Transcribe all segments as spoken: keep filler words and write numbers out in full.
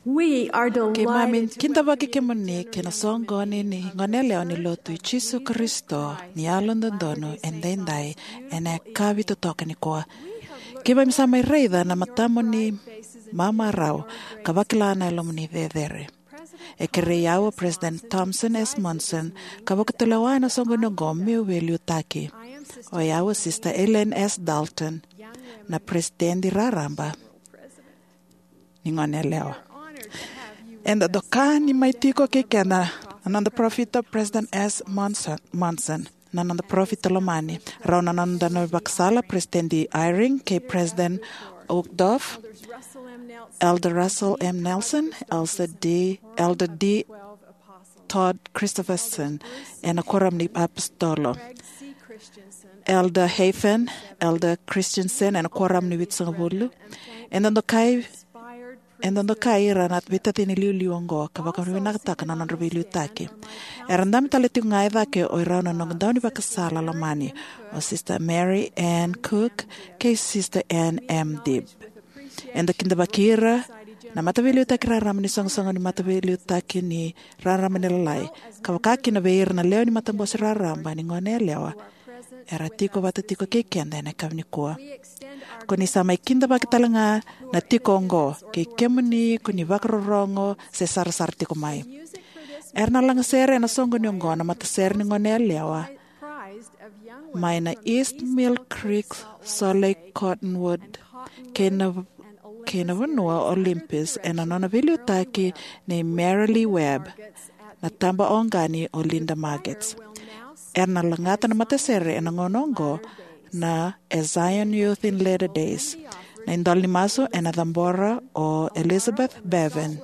We are delighted Keimami to kidavaki kemuni kei na soqoni ni goneyalewa ni Lotu i Jisu Karisito ni Yalododonu Edaidai ena yakavi totoka nikua. Keimami sa mai raica na matamuni mamarau ka vakila na yalomuni cecere. E kerei au o President Thomas S. Monson ka vakatulewa ena soqoni oqo meu veiliutaki. O yau o Sister Elaine S. Dalton, na President raraba ni goneyalewa. Eda doka ni mai tiko kei keda na noda parofita President S. Monson, Monson, na noda parofita lomani, rau na noda na vakasala President Eyring kei President Uchtdorf, Elder Russell M. Nelson, Elder D. Elder D. Todd Christofferson, ena Kuoramu ni Apositolo, Elder Hafen, Elder Christensen, ena Kuoramu ni Vitusagavulu. Eda dokai, eda dokai ira na veitacini liuliu oqo ka vakavinavinakataka na nodra veiliutaki. Era dabe tale tiko ga e cake o irau na noda daunivakasala lomani, o Sister Mary Ann Cook kei Sister Ann M. Dibb. Eda kidavaki ira na mataveiliutaki raraba ni soqosoqo ni mataveiliutaki ni raraba ni lalai, ka vaka kina vei ira na lewe ni matabose raraba ni goneyalewa era tiko vata tiko kei keda ena yakavi nikua. Ko ni sa mai kidavaki tale ga na tiko oqo, kei kemuni ko ni vakarorogo se sarasara tiko mai. Era na lagasere ena soqoni oqo na matasere ni goneyalewa mai na East Mill Creek Soleil Cottonwood kei na, kei na vanua o Olympus ena nona veiliutaki nei Marilee Webb, na taba oqani o Linda Margetts. Era na lagata na matasere ena gauna oqo na e Zion Youth in Latter Days. Na idola ni masu ena cabora o Elizabeth Bevan.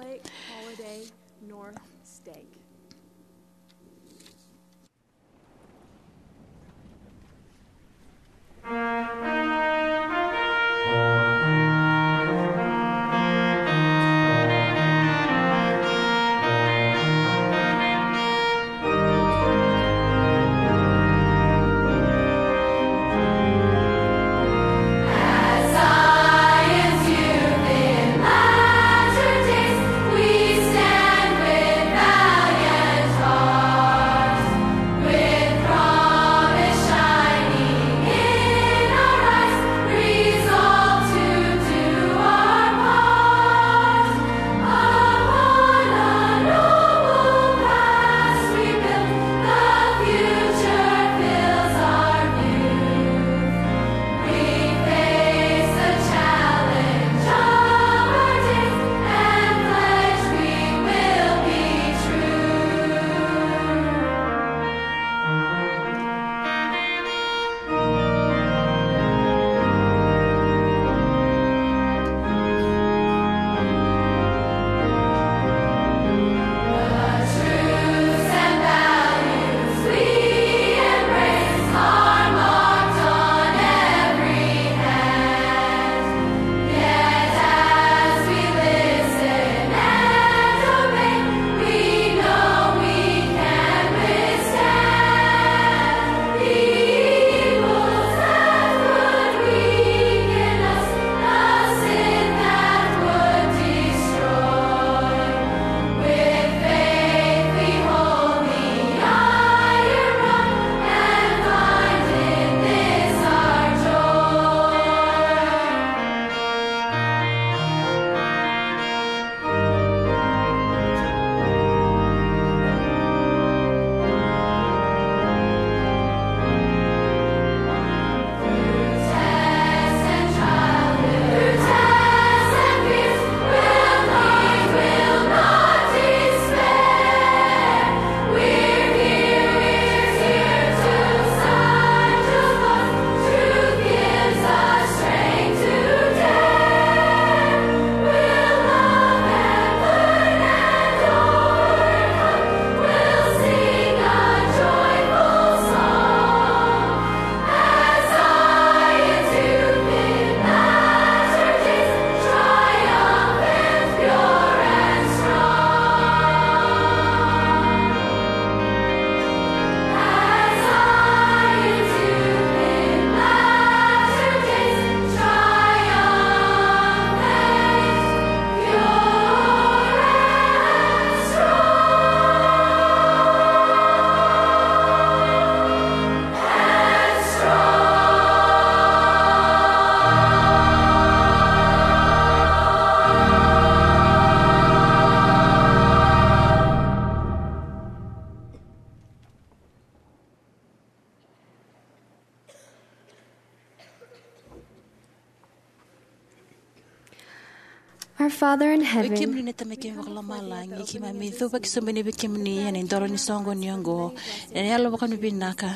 Our Father in Oi heaven, kemuni na Tamai keimami vakalomalagi, keimami cuva ki sobu ni vei kemuni ena idola ni soqoni oqo, ena yalo vakavinavinaka.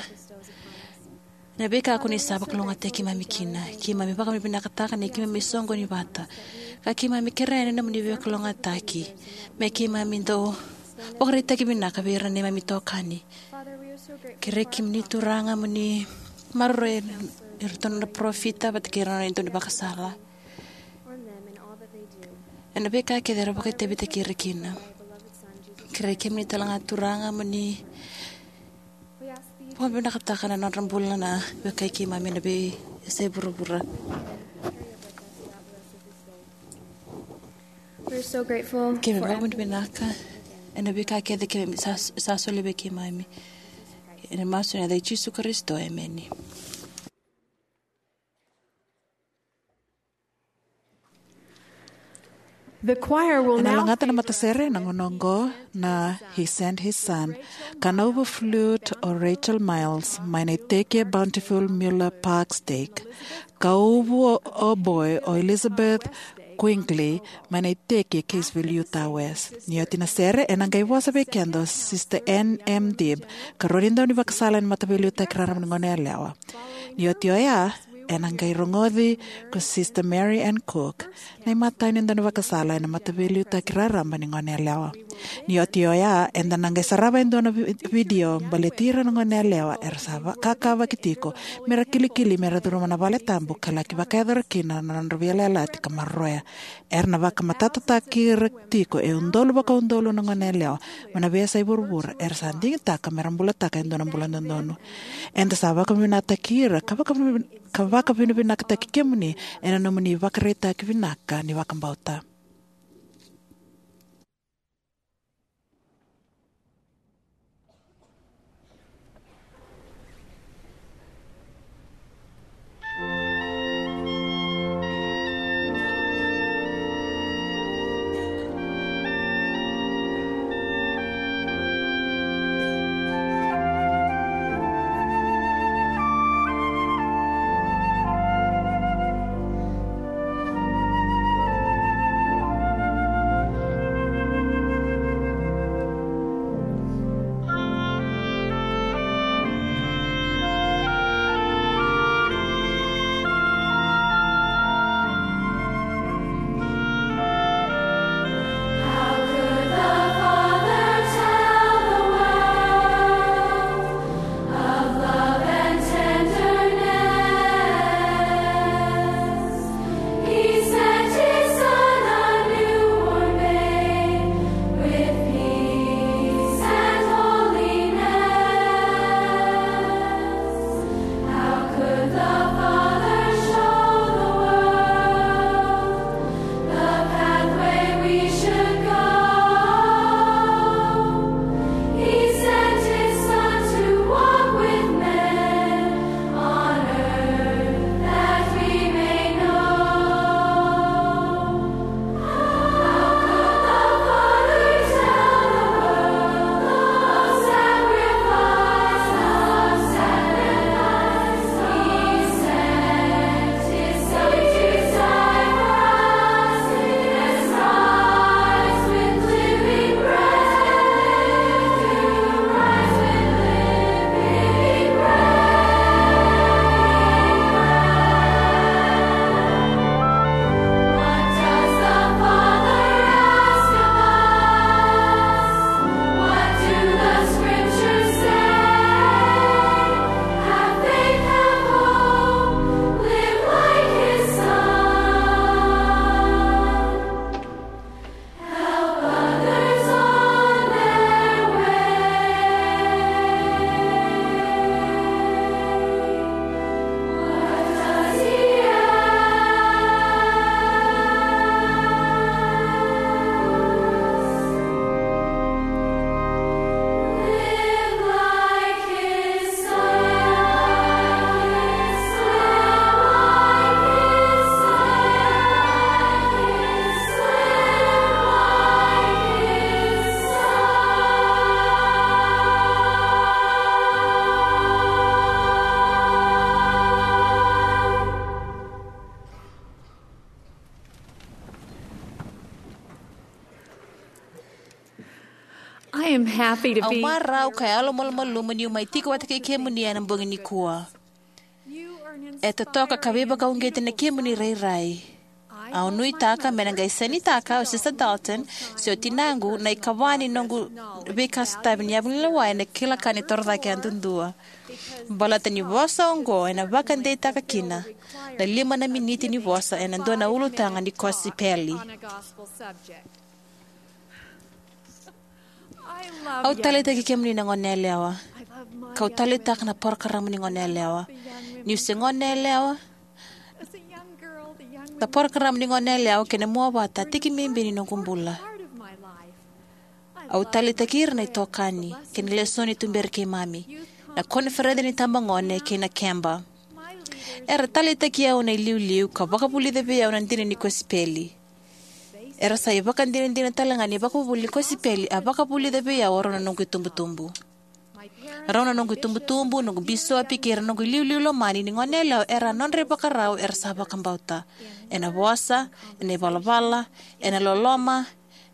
Na veika ko ni sa vakalougatataki keimami kina, keimami vakavinavinakataka ni keimami soqoni vata. Ka keimami kerea na nomuni veivakalougatataki me keimami dau vakaraitaki vinaka vei ira na neimami itokani. Kerei kemuni Turaga mo ni maroroi iratou na parofita vata kei ira na nodra dau ni vakasala. Ena veika kece era vakaitavitaki ira kina. Kerei kemuni talega Turaga mo ni vakavinakataka na nodra bula na veika keimami na veiyasai vuravura. We're so grateful Keimami for vakavinavinaka ena veika kece keimami sa, sa solia vei keimami. Ena masu ena yaca i Jisu Karisito, emeni. The choir will Na now lagata na favor matasere na gauna oqo na He Sent His Son, ka na uvu flute o Rachel Miles, mai na iteki e Bountiful Muller Park Stake, ka uvu o oboe o Elizabeth Quigley, mai na iteki e Caseville, Utah West. Ni oti na sere, ena qai vosa vei keda o Sister Ann M. Dibb, ka rua ni dau ni vakasala ena Mataveiliutaki Raraba ni Goneyalewa. Ni oti oya, ena qai rogoci ko Sister Mary Ann Cook, na imatai ni dau ni vakasala ena Mataveiliutaki Raraba ni Goneyalewa. Ni oti oya, eda na qai sarava e dua na vi-, vidio baleti ira na goneyalewa era sa vakakavaki tiko mera kilikili mera curuma na vale tabu ka laki vakayacora kina na nodra veiyalayalati ka maroroya. Era na vakamatatataki ira tiko e udolu vakaudolu na goneyalewa mai na veiyasai vuravura era sa digitaka mera bulataka e dua na bula dodonu. Eda sa vakavinavinakataki ira ka vakavi-, ka vakavinavinakataki kemuni ena nomuni ivakaraitaki vinaka ni vakabauta. I am happy to Au be marau ka yalomalumalumu niu mai tiko vata kei kemuni ena bogi nikua. E totoka ka veivakauqeti na kemuni rairai. Au nuitaka me na qai sainitaka o Sista Dalton se o tinaqu na ikava ni noqu veika sotavi ni yavu ni lewa ena kila ka ni torocake yadudua. Baleta ni vosa oqo ena vakadeitaka kina na lima na miniti ni vosa ena dua na ulutaga ni kosipeli. Au taleitaki kemuni na gone yalewa. Kau taleitaka na porokaramu ni gone yalewa. Niu se gone yalewa, na porokaramu ni gone yalewa kei na mua vata tiki bibi ni noqu bula. Au taleitaki ira na itokani kei na lesoni tuberi keimami, na koniferedi ni tabagone kei na keba. Era taleitaki au na iliuliu ka vakavulica vei au na dina ni kosipeli. Era sa ivakadinadina talega ni vakavuvuli ni kosipeli a vakavulica vei au o rau na noqu itubutubu. Rau na noqu itubutubu, noqu bisopi kei ira noqu iliuliu lomani ni gone yalewa era a nodra ivakarau era sa vakabauta. Ena vosa, ena ivalavala, ena loloma,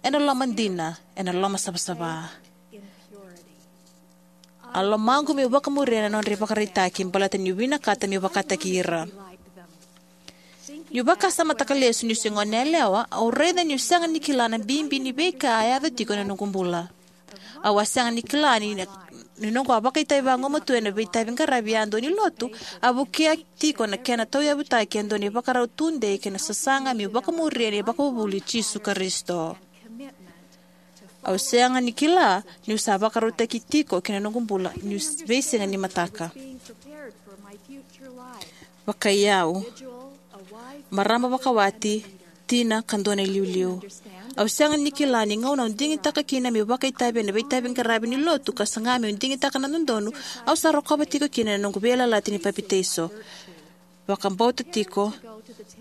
ena loma dina, ena loma savasava. A lomaqu meu vakamuria na nodra ivakaraitaki baleta niu vinakata meu vakataki ira. Niu vakasamataka lesu niu se gone yalewa, au raica niu sega ni kila na bibi ni veika a yaco tiko ena noqu bula. Au a sega ni kila ni, ni noqu a vakaitavi vagumatua ena veitavi qaravi yadua ni lotu, a vukea tiko na kena tauyavutaki e dua na ivakarau tudei kei na sasaga meu vakamuria na ivakavuvuli i Jisu Karisito. Au sega ni kila niu sa vakarautaki tiko kina noqu bula niu veisiga ni mataka. Vakaiyau, marama vakawati, tina ka dua na iliuliu. Au sega ni kila ni gauna au digitaka kina meu vakaitavi ena veitavi qaravi ni lotu ka saga meu digitaka na dodonu au sa rokova tiko kina na noqu veiyalayalati ni papitaiso. Vakabauta tiko,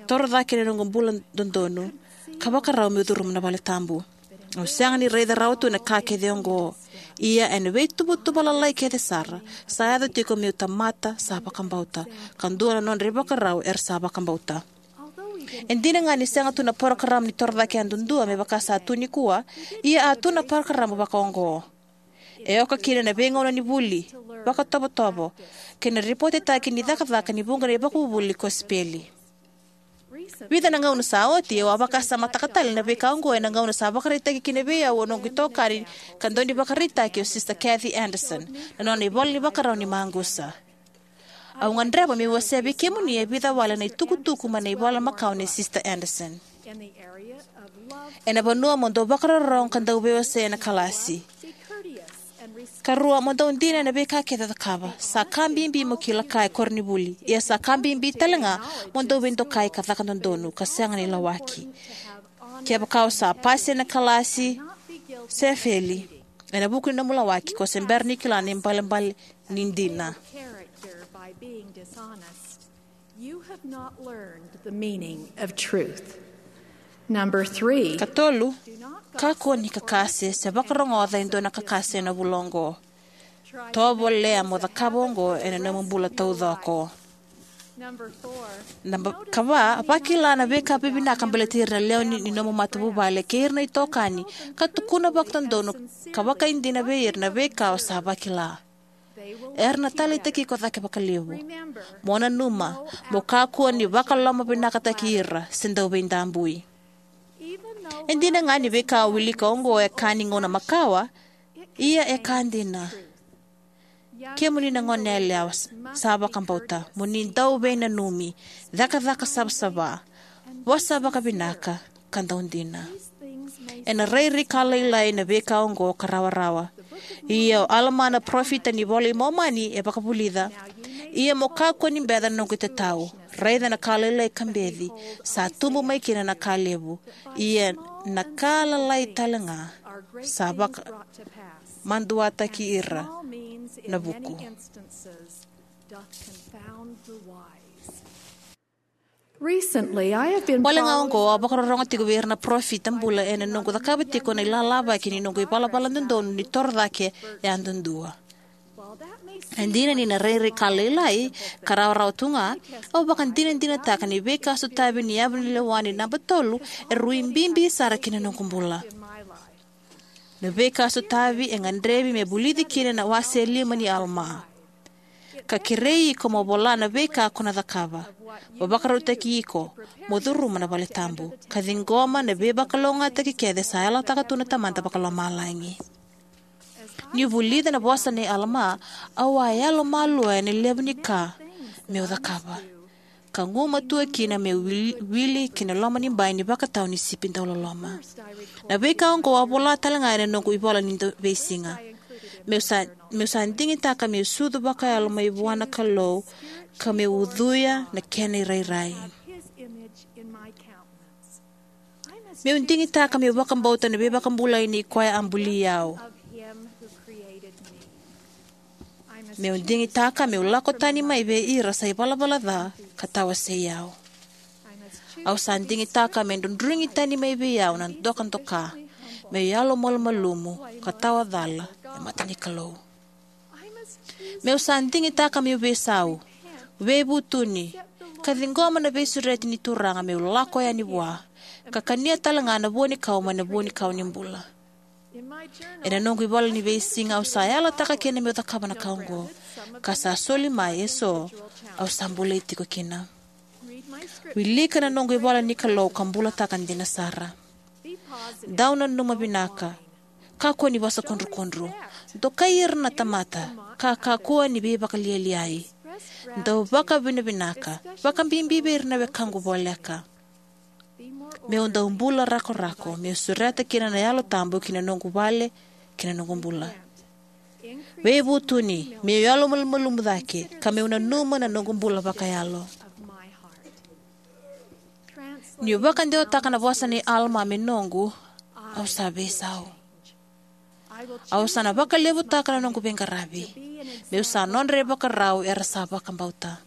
toro cake na noqu bula dodonu, ka vakarau meu curuma na vale tabu. Au sega ni raica rawa tu na ka kece oqo. Ia ena veituvatuva lalai kece sara, sa yaco tiko meu tamata sa vakabauta, ka dua na nodra ivakarau era sa vakabauta. E dina ga ni sega tu na parokaramu ni torocake yadudua me vaka sa tu nikua, ia a tu na parokaramu vakaoqo. E oka kina na veigauna ni vuli, vakatovotovo, kei na ripotetaki ni cakacaka ni vuqa na ivakavuvuli ni kosipeli. Vica na gauna sa oti, au a vakasamataka tale na veika oqo ena gauna sa vakaraitaki kina vei au o noqu itokani ka dau ni vakaraitaki o Sista Kathy Anderson, na nona ivola ni vakarau ni maqusa. Au gadreva meu wasea vei kemuni e vica wale na itukutuku mai na ivola makawa nei Sista Anderson. Ena vanua mo dau vakarorogo ka dau veiwasei ena kalasi. Karua, mo dau dina ena veika kece o cakava. Sa ka bibi mo kila ka e koronivuli. Ia sa ka bibi talega mo dau veidokai ka caka dodonu ka sega ni lawaki. Kevaka o sa pasi ena kalasi se feli, ena vuku ni nomu lawaki, ko se bera ni kila na ibalebale ni dina. You have not learned the meaning of truth. Number three. Katolu, kakua ni kakase se vakarogoca e dua na kakase ena vula oqo. Tovolea mo cakava oqo ena nomu bula taucoko. Number four. Naba kava, vakila na veika vivinaka baleti ira na lewe ni, ni nomu matavuvale kei ira na itokani, ka tukuna vakadodonu ka vakaidina vei ira na veika o sa vakila. Era na taleitaki iko cake vakalevu. Mo nanuma, mo kakua ni vakalomavinakataki ira se dau veidabui. E dina ga ni veika o wilika oqo e ka ni gauna makawa, ia e ka dina. Kemuni na gone yalewa sa vakabauta, mo ni dau veinanumi, cakacaka savasava, vosa vakavinaka, ka dau dina. Ena rairai ka lailai na veika oqo ka rawarawa. Ia o Alama na parofita ni Vola i Momani e vakavulica. Ia mo kakua ni beca na noqu itatau. Raica na ka lailai ka beci, sa tubu mai kina na ka levu. Ia na ka lalai talega sa vakamaduataki ira na vuku. Recently, I have been Wale ga oqo, au vakarorogo tiko vei ira na parofita bula ena noqu cakava tiko na ilalavaki ni noqu ivalavala dodonu ni toro cake yadudua. E dina ni na rairai ka lailai ka rawarawa tu ga, au vakadinadinataka ni veika sotavi ni yavu ni lewa ni naba tolu e rui bibi sara ki na noqu bula. Na veika sotavi e gadrevi me vulici kina na wase e lima ni Alama. Ka kerei iko mo vola na veika ko na cakava. Mo vakarautaki iko, mo curuma na vale tabu. Ka ciqoma na veivakalougatataki kece sa yalataka tu na Tamada Vakalomalagi. Niu vulica na vosa nei Alama, au a yalomalua ena levu ni ka meu cakava. Ka gumatua kina meu wili, wili ki na loma ni bai ni vakatau ni sipi dauloloma. Na veika oqo a vola tale ga ena noqu ivola ni da-, veisiga. Meu sa, meu sa digitaka meu sucu vakayalo mai vua na Kalou, ka meu ucuya na kena irairai. Meu digitaka meu vakabauta na veivakabulai nei koya a buli au. Meu digitaka meu lako tani mai vei ira sa ivalavala ca ka tawasei au. Au sa digitaka me drodrogi tani mai vei au na dokadoka, meu yalomalumalumu ka tawacala e mata ni Kalou. Meu sa digitaka meu veisau, veivutuni, ka ciqoma na veisureti ni Turaga meu lako yani vua, ka kania tale ga na vuanikau mai na vuanikau ni bula. Ena noqu ivola ni veisiga au sa yalataka kina meu cakava na ka oqo, ka sa soli mai eso au sa bolei tiko kina. Wilika na noqu ivola ni Kalou ka bulataka dina sara. Dau nanuma vinaka, kakua ni vosa kudrukudru. Dokai ira na tamata, ka kakua ni veivakalialiai. Dau vakavinavinaka, vakabibi vei ira na wekaqu voleka. Meu dau bula rakorako, meu sureta kina na Yalo Tabu ki na noqu vale, ki na noqu bula. Veivutuni, meu yalomalumalumu cake, ka meu nanuma na noqu bula vakayalo. Niu vakadewataka na vosa nei Alama me noqu, au sa veisau. Au sa na vakalevutaka na noqu veiqaravi, meu sa nodra ivakarau era sa vakabauta.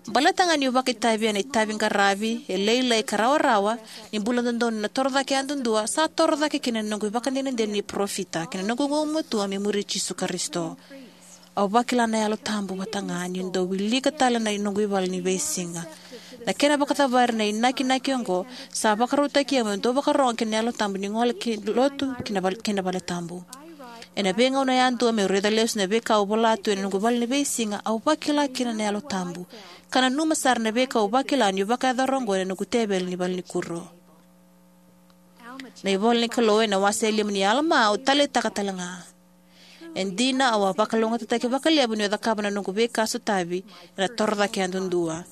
Baleta ga niu vakaitavi ena itavi qaravi e lailai ka rawarawa, ni bula dodonu na toro cake yadudua, sa toro cake kina na noqu ivakadinadina ni parofita kei na noqu gumatua me muri Jisu Karisito. Au vakila na Yalo Tabu vata ga niu dau wilika tale na noqu ivola ni veisiga. Na kena vakacavari na inakinaki oqo sa vakarautaki au meu dau vakarogo ki na Yalo Tabu ni gole ki lotu ki na val-, ki na vale tabu. Ena veigauna yadua meu raica lesu na veika au vola tu ena noqu ivola ni veisiga, au vakila kina na Yalo Tabu. Ka nanuma sara na veika au vakila niu vakayacora oqo ena noqu teveli ni valenikuro. Na ivola ni Kalou ena wase e lima ni Alama au taleitaka tale ga. E dina, au a vakalougatataki vakalevu niu cakava na noqu veika sotavi ena toro cake yadudua.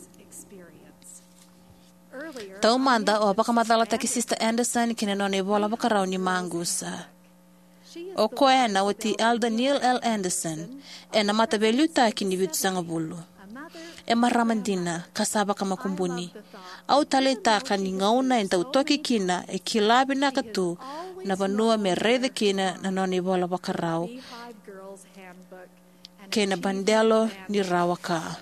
Taumada, au a vakamacalataki Sister Anderson ki na nona ivola vakarau ni maqusa. O koya ena wati Elder Neil L. Anderson, ena mataveiliutaki ni vitusagavulu. E marama dina, ka sa vakamakubuni. Au taleitaka ni gauna e dau toki kina, e kila vinaka tu na vanua me raica kina na nona ivola vakarau kei na Badelo ni Rawa Ka.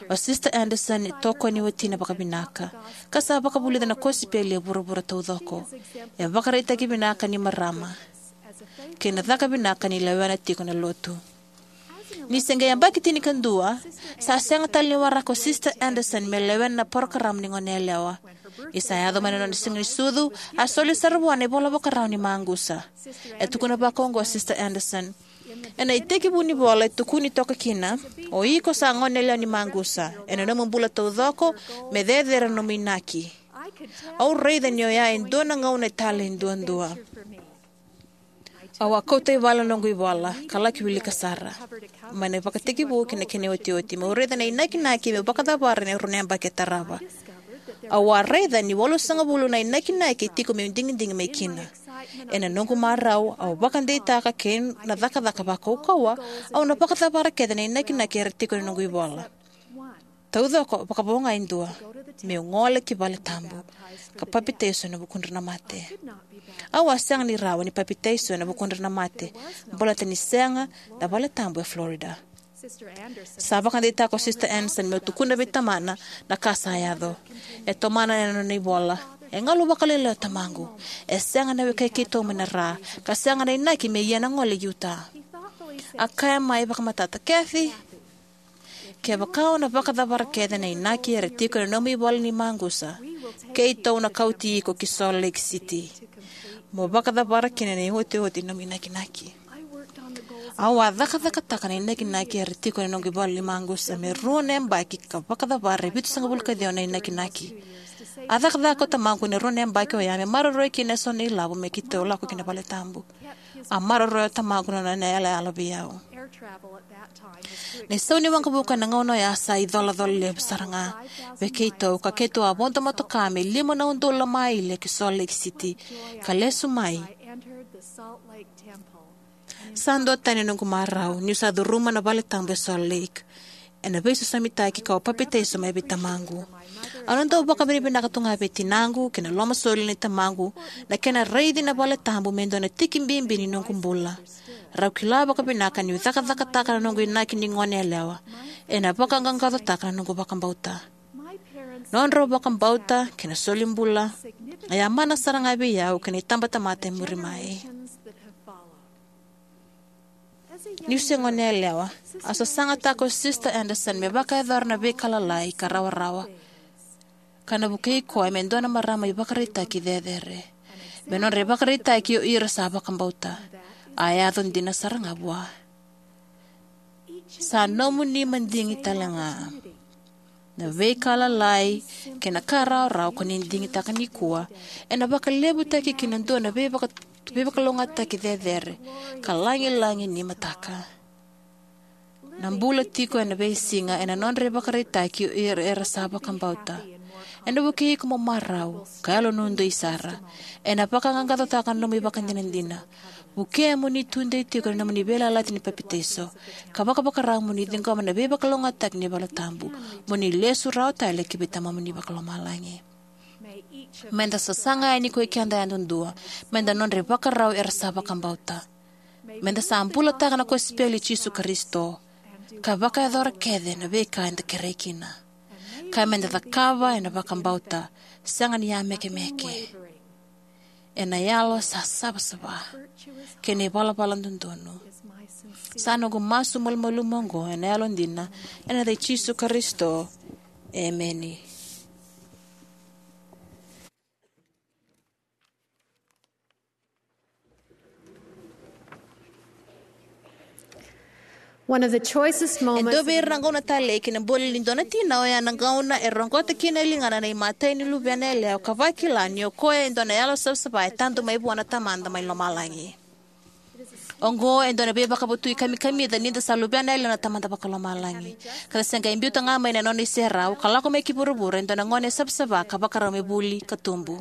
O Sister Anderson e tokoni watina vakavinaka, ka sa vakavulica na kosipeli e vuravura taucoko. E vakaraitaki vinaka ni marama kei na caka vinaka ni lewena tiko na lotu. Ni se qai yabaki tinikadua, sa sega tale ni waraka o Sister Anderson me lewena na parokaramu ni goneyalewa. Ni sa yaco mai na nona siga ni sucu, a soli sara vua na ivola vakarau ni maqusa. E tukuna vakaoqo o Sister Anderson: Ena itekivu ni vola e tukuni toka kina, o iko sa goneyalewa ni maqusa, ena nomu bula taucoko, me cecere na nomu inaki. Au raica ni oya e dua na gauna e talei duadua. Au a kauta i vale na noqu ivola, ka laki wilika sara mai na ivakatekivu ki na kena iotioti, meu raica na inakinaki meu vakacavara ena rua na yabaki e tarava. Au a raica ni walusagavulu na inakinaki e tiko meu digidigi mai kina. Ena noqu marau, au vakadeitaka kei na cakacaka vakaukauwa, au na vakacavara kece na inakinaki era tiko ena noqu ivola. Taucoko, vakavo ga e dua: meu gole ki vale tabu ka papitaiso ena vukudra na mate. Au a sega ni rawa ni papitaiso ena vukudra na mate, baleta ni sega na vale tabu e Florida. Sa vakadeitaka o Sister Anderson meu tukuna vei tamana na ka sa yaco. E tomana ena nona ivola: E galu vakalailai o tamaqu. E sega na wekai keitou mai na ra, ka sega na inaki me ia na gole i Utah. A kaya mai vakamatata: Kathy, kevaka o na vakacavara kece na inaki era tiko ena nomu ivola ni maqusa, keitou na kauti iko ki Salt Lake City. mo vakacavara kina na iotioti ni nomu inakinaki. Au a cakacakataka na inakinaki era tiko ena noqu ivalu ni maqusa me rua na yabaki ka vakacavara e vitusagavulu ka ciwa na inakinaki. A cakacaka o tamaqu ena rua na yabaki oya me maroroi kina eso na ilavo me keitou lako ki na valetabu. A maroroya o tamaqu na nona yalayala vei au. Na isau ni waqavuka ena gauna oya sa icolacola levu sara ga vei keitou, ka keitou a vodo motoka me lima na udolu na maile ki Salt Lake City, ka lesu mai. Sa duatani na noqu marau niu sa curuma na valetabu e Salt Lake ena veisosomitaki kau a papitaiso mai vei tamaqu. Au na dau vakavinavinaka tu ga vei tinaqu kei na lomasoli nei tamaqu na kena raici na valetabu me dua na tiki bibi ni noqu bula. Rau kila vakavinaka niu cakacakataka na noqu inaki ni goneyalewa ena vakaqaqacotaka na noqu vakabauta. Nodrau vakabauta kei na solibula e a mana sara ga vei au kei na itabatamata e muri mai. Niu se goneyalewa, a sasagataka o Sisita Anderson me vakayacora na veika lalai ka rawarawa, ka na vukei koya me dua na marama ivakaraitaki cecere. Me nodra ivakaraitaki o ira sa vakabauta, a yaco dina sara ga vua. Sa nomuni madigi tale ga. Na veika lalai kei na ka rawarawa ko ni digitaka nikua ena vakalevutaki ki na dua na veivaka, veivakalougatataki cecere ka lagilagi ni mataka. Na bula tiko ena veisiga ena nodra ivakaraitaki o ira era sa vakabauta ena vukei iko mo marau ka yalonuidei sara. Ena vakaqaqacotaka na nomu ivakadinadina. Vukea mo ni tudei tiko ena nomuni veiyalayalati ni papitaiso ka vakavakarau mo ni ciqoma na veivakalougatataki ni valetabu, mo ni lesu rawa tale ki vei Tamamuni Vakalomalagi. Meda sasaga yani ko ikeda yadudua meda nodra ivakarau era sa vakabauta. Meda sa bulataka na kosipeli i Jisu Karisito ka vakayacora kece na veika eda kerei kina, ka meda cakava ena vakabauta sega ni yamekemeke, ena yalo sa savasava kei na ivalavala dodonu. Sa noqu masu malumalumu oqo ena yalodina, ena yaca i Jisu Karisito. Emeni. One of the choicest moments. E dua vei ira na gauna talei ki na bula ni dua na tina oya na gauna e roqota kina e ligana na imatai ni luvena yalewa ka vakila ni o koya e dua na yalo savasava e tadu mai vua na Tamada mai lomalagi. Oqo e dua na veivakavotui kamikamica ni da sa luvena yalewa na Tamada Vakalomalagi, ka da se qai biuta ga mai na nona iserau ka lako mai ki vuravura e dua na gone savasava ka vakarau me vuli ka tubu.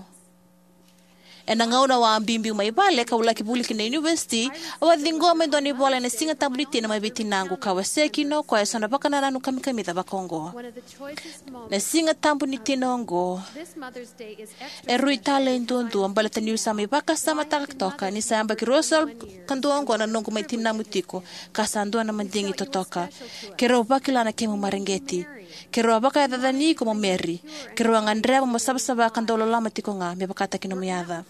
Ena gauna au a biubiu mai vale kau laki vuli ki na univesiti, au a ciqoma e dua na ivola ena Siga Tabu ni Tina mai vei tinaqu ka wasea kina o koya eso na vakanananu kamikamica vakaoqo. Na Siga Tabu ni Tina oqo e rui talei duadua baleta niu sa mai vakasamataka toka ni sa yabaki ruasagavulu ka dua oqo na noqu mai tinamu tiko, ka sa dua na madigi totoka. Keirau vakila na kemu mareqeti. Keirau a vakayacani iko mo Mary. Keirau a gadreva mo savasava ka dau loloma tiko ga me vakataki nomu yaca.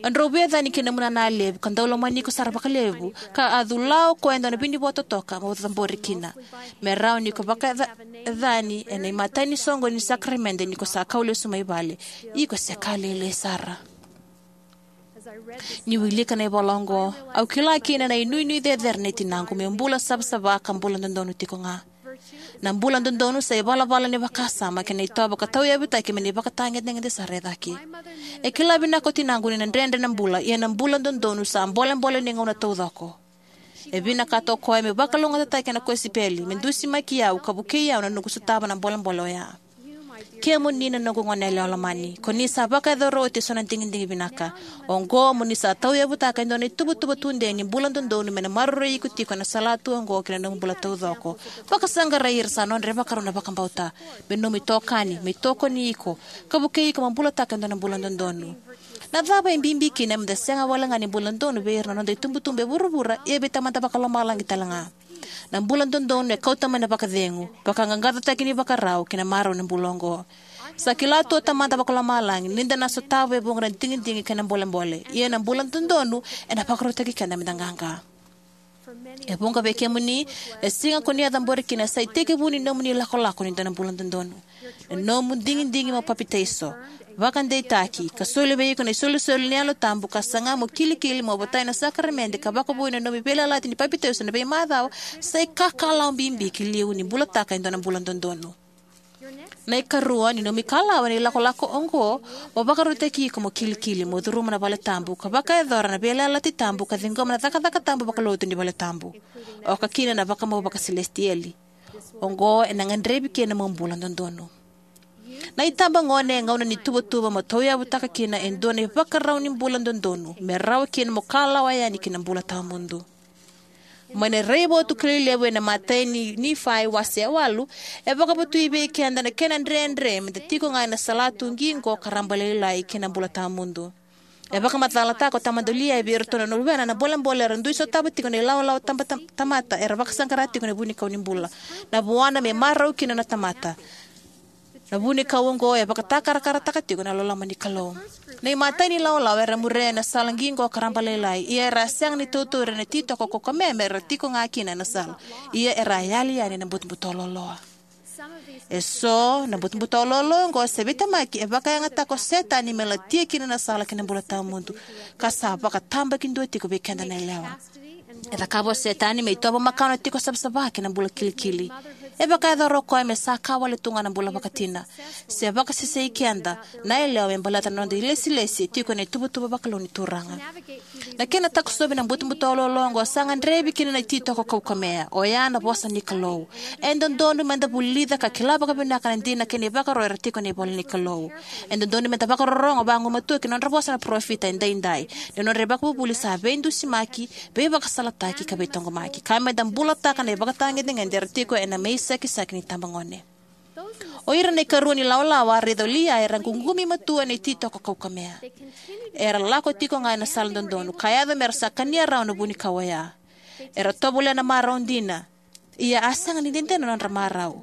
A drau veiyacani kei na nomu nana levu ka dau lomani iko sara vakalevu, ka a cula o koya e dua na vinivo totoka mo cabori kina, me rawa ni ko vakayacani ena imatai ni soqoni ni sakaramede ni ko sa kau lesu mai vale. Iko se ka lailai sara. Ni wilika na ivola oqo, au kila kina na inuinui cecere nei tinaqu meu bula savasava ka bula dodonu tiko ga. Na bula dodonu sa ivalavala ni vakasama kei na itovo ka tauyavutaki mai na ivakatagedegede sara e cake. E kila vinaka o tinaqu ni na dredre na bula, ia na bula dodonu sa bolebole ni gauna taucoko. E vinakata o koya meu vakalougatataki ena kosipeli, me dusimaki au ka vukei au na noqu sotava na bolebole oya. Kemuni na noqu goneyalewa lomani, ko ni sa vakayacora oti eso na digidigi vinaka. Oqo mo ni sa tauyavutaka e dua na ituvatuva tudei ni bula dodonu me na maroroi iko tiko ena salatu oqo kei na nomu bula taucoko. Vakasaqarai ira sa nodra ivakarau na vakabauta me nomu itokani, me itokoni iko, ka vukei iko mo bulataka e dua na bula dodonu. Na cava e bibi kina meda sega wale ga ni bula dodonu vei ira na noda itubutubu e vuravura, ia vei Tamada Vakalomalagi tale ga? Na bula dodonu e kauta mai na vakacegu, vakaqaqacotaki ni vakarau kei na marau ena bula oqo. Sa kila tu o Tamada Vakalomalagi ni da na sotava e vuqa na digidigi kei na bolebole, ia na bula dodonu ena vakarautaki keda meda qaqa. E vuqa vei kemuni, na siga ko ni a cabori kina sa itekivu ni nomuni ilakolako ni dua na bula dodonu. Na nomu digidigi mo papitaiso, vakadeitaki, ka soli vei iko na isolisoli ni Yalo Tabu, ka saga mo kilikili mo votai na sakaramede, ka vakavoui na nomu veiyalayalati ni papitaiso ena veimacawa, sa ikakalawa bibi ki liu ni bulataka e dua na bula dodonu. Na ikarua ni nomu ikalawa ena ilakolako oqo, mo vakarautaki iko mo kilikili, mo curuma na valetabu, ka vakayacora na veiyalayalati tabu, ka ciqoma na cakacaka tabu vakalotu ni valetabu, oka kina na vakamau vakasilesitieli. Oqo ena gadrevi kina mo bula dodonu. Na itabagone e gauna ni tuvatuva mo tauyavutaka kina e dua na ivakarau ni bula dodonu, me rawa kina mo kalawa yani ki na bula tawamudu. Mai na raivotu kilai levu ena imatai ni Nifai wase e walu, e vakavotui vei keda na kena dredre meda tiko ga ena salatu qiqo ka rabalailai ki na bula tawamudu. E vakamacalataka o tamada Liai vei iratou na luvena na bolebole era dui sotava tiko na ilawalawa taba-, tam-, tamata era vakasaqara tiko ena vunikau ni bula. Na vuana me marau kina na tamata. Na vunikau oqo e vakatakarakarataka tiko na loloma ni Kalou. Na imatai ni lawalawa era muria ena sala qiqo ka rabalailai, ia era a sega ni tautauri ena ititoko kaukamea mera tiko ga kina ena sala. Ia era a yali yani ena butobuto loaloa. Eso na butobuto loaloa oqo sa veitemaki e vakayagataka o Setani me latia kina na sala ki na bula tawamudu, ka sa vakatabakidua tiko vei keda na yalewa. E cakava o Setani me itovo makawa na tiko savasava kei na bula kilikili. E vakayacora o koya me sa ka wale tu ga na bula vakatina. Se vakasesei keda na yalewa me baleta na noda ilesilesi e tiko ena ituvatuva vakalou ni Turaga. Na kena takosovi na butobuto loaloa oqo sa gadrevi kina na ititoko kaukamea, oya na vosa ni Kalou. E dodonu meda vulica ka kila vakavinaka na dina kei na ivakaro era tiko ena ivola ni Kalou. E dodonu meda vakarorogo vagumatua ki na nodra vosa na parofita edaidai, ni nodra ivakavuvuli sa veidusimaki, veivakasalataki ka veitaqomaki, ka meda bulataka na ivakatagedegede era tiko ena meisakisaki ni tabagone. O ira na ikarua ni lawalawa a raica o Liai era ququmi matua ena ititoko kaukamea. Era lako tiko ga ena sala dodonu, ka yaco mera sa kania rawa na vunikau oya. Era tovolea na marau dina, ia a sega ni dede na nodra marau.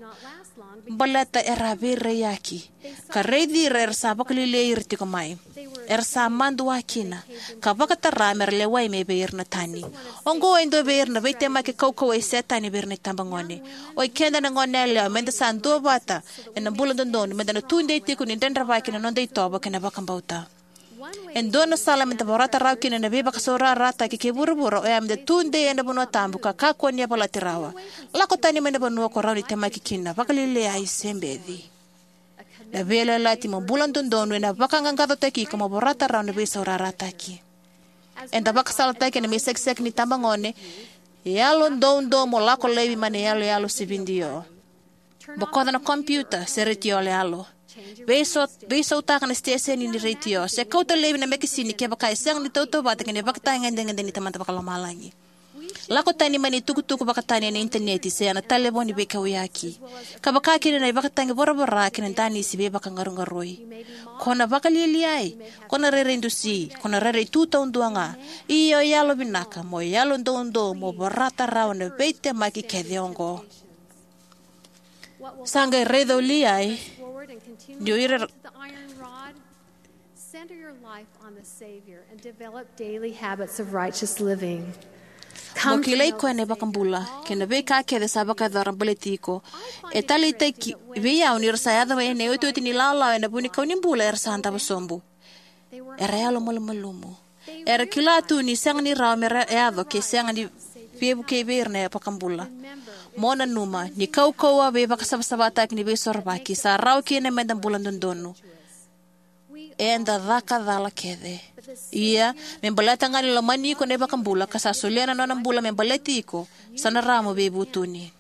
Baleta era a veiraiyaki, ka raici ira era sa vakalialiai ira tiko mai. Era sa madua kina, ka vakatara mera lewai mai vei ira na tani. Oqo e dua vei ira na veitemaki kaukauwa i Setani vei ira na itabagone. O ikeda na goneyalewa, meda sa duavata ena bula dodonu, meda na tudei tiko ni dredrevaki na noda itovo kei na vakabauta. E dua na sala meda vorata rawa kina na veivakasaurarataki kei vuravura, oya meda tudei ena vanua tabu ka kakua ni yavalati rawa. Lako tani mai na vanua ko rawa ni temaki kina, vakalialiai se beci. Na veiyalayalati mo bula dodonu ena vakaqaqacotaki iko mo vorata rawa na veisaurarataki. Eda vakasalataki ena meisakisaki ni tabagone, yalo doudou mo lako laivi mai na iyaloyalo sividio. Bokoca na kompiuta se retio yaloyalo. Veisau-, veisautaka na siteseni ni retio, se kauta laivi na mekesini kevaka e sega ni tautauvata kei na ivakatagedegede ni Tamada Vakalomalagi. Lako tani mai na itukutuku vakatani ena initaneti se ena talevoni veikauyaki, ka vaka kina na ivakatagi voravora kei na danisi veivakaqaruqarui. Ko na vakalialiai, ko na rairai dusi, ko na rairai tu taudua ga. Ia o yalo vinaka, mo yalo doudou, mo vorata rawa na veitemaki kece oqo. Sa qai raica o Liai ni o ira Center your life on the Savior and develop daily habits of righteous living. Mo kilai koya na iVakabula kei na veika kece sa vakayacora baleti iko. E taleitaki vei au ni ra sa yaco mai ena iotioti ni lawalawa ena vunikau ni bula era sa davo sobu. Era yalomalumalumu. Era kila tu ni sega ni rawa mera yaco ke sega ni veivuke vei ira na iVakabula. Mo nanuma ni kaukauwa veivakasavasavataki ni Veisorovaki sa rawa kina meda bula dodonu. Eda caka cala kece. Ia, me baleta ga ni lomani iko na iVakabula ka sa solia na nona bula me baleti iko, sa na rawa mo veivutuni.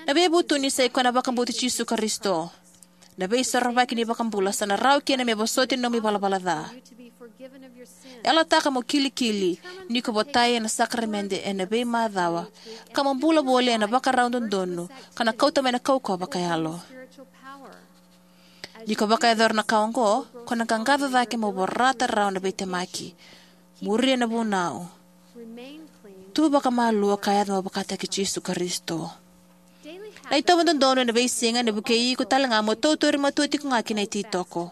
Na veivutuni sa ikoya na vakabauti Jisu Karisito. Na Veisorovaki ni iVakabula sa na rawa kina me vosoti na nomu ivalavala ca. Yalataka mo kilikili ni ko votai ena sakaramede ena veimacawa, ka mo bula voli ena vakarau dodonu, ka na kauta mai na kaukauwa vakayalo. Ni ko vakayacora na ka oqo, ko na qaqaco cake mo vorata rawa na veitemaki. Muria na vunau. Tu vakamalua ka yaco mo vakataki Jisu Karisito. Na itovo dodonu ena veisiga ena vukei iko tale ga mo tautauri matua tiko ga ki na ititoko.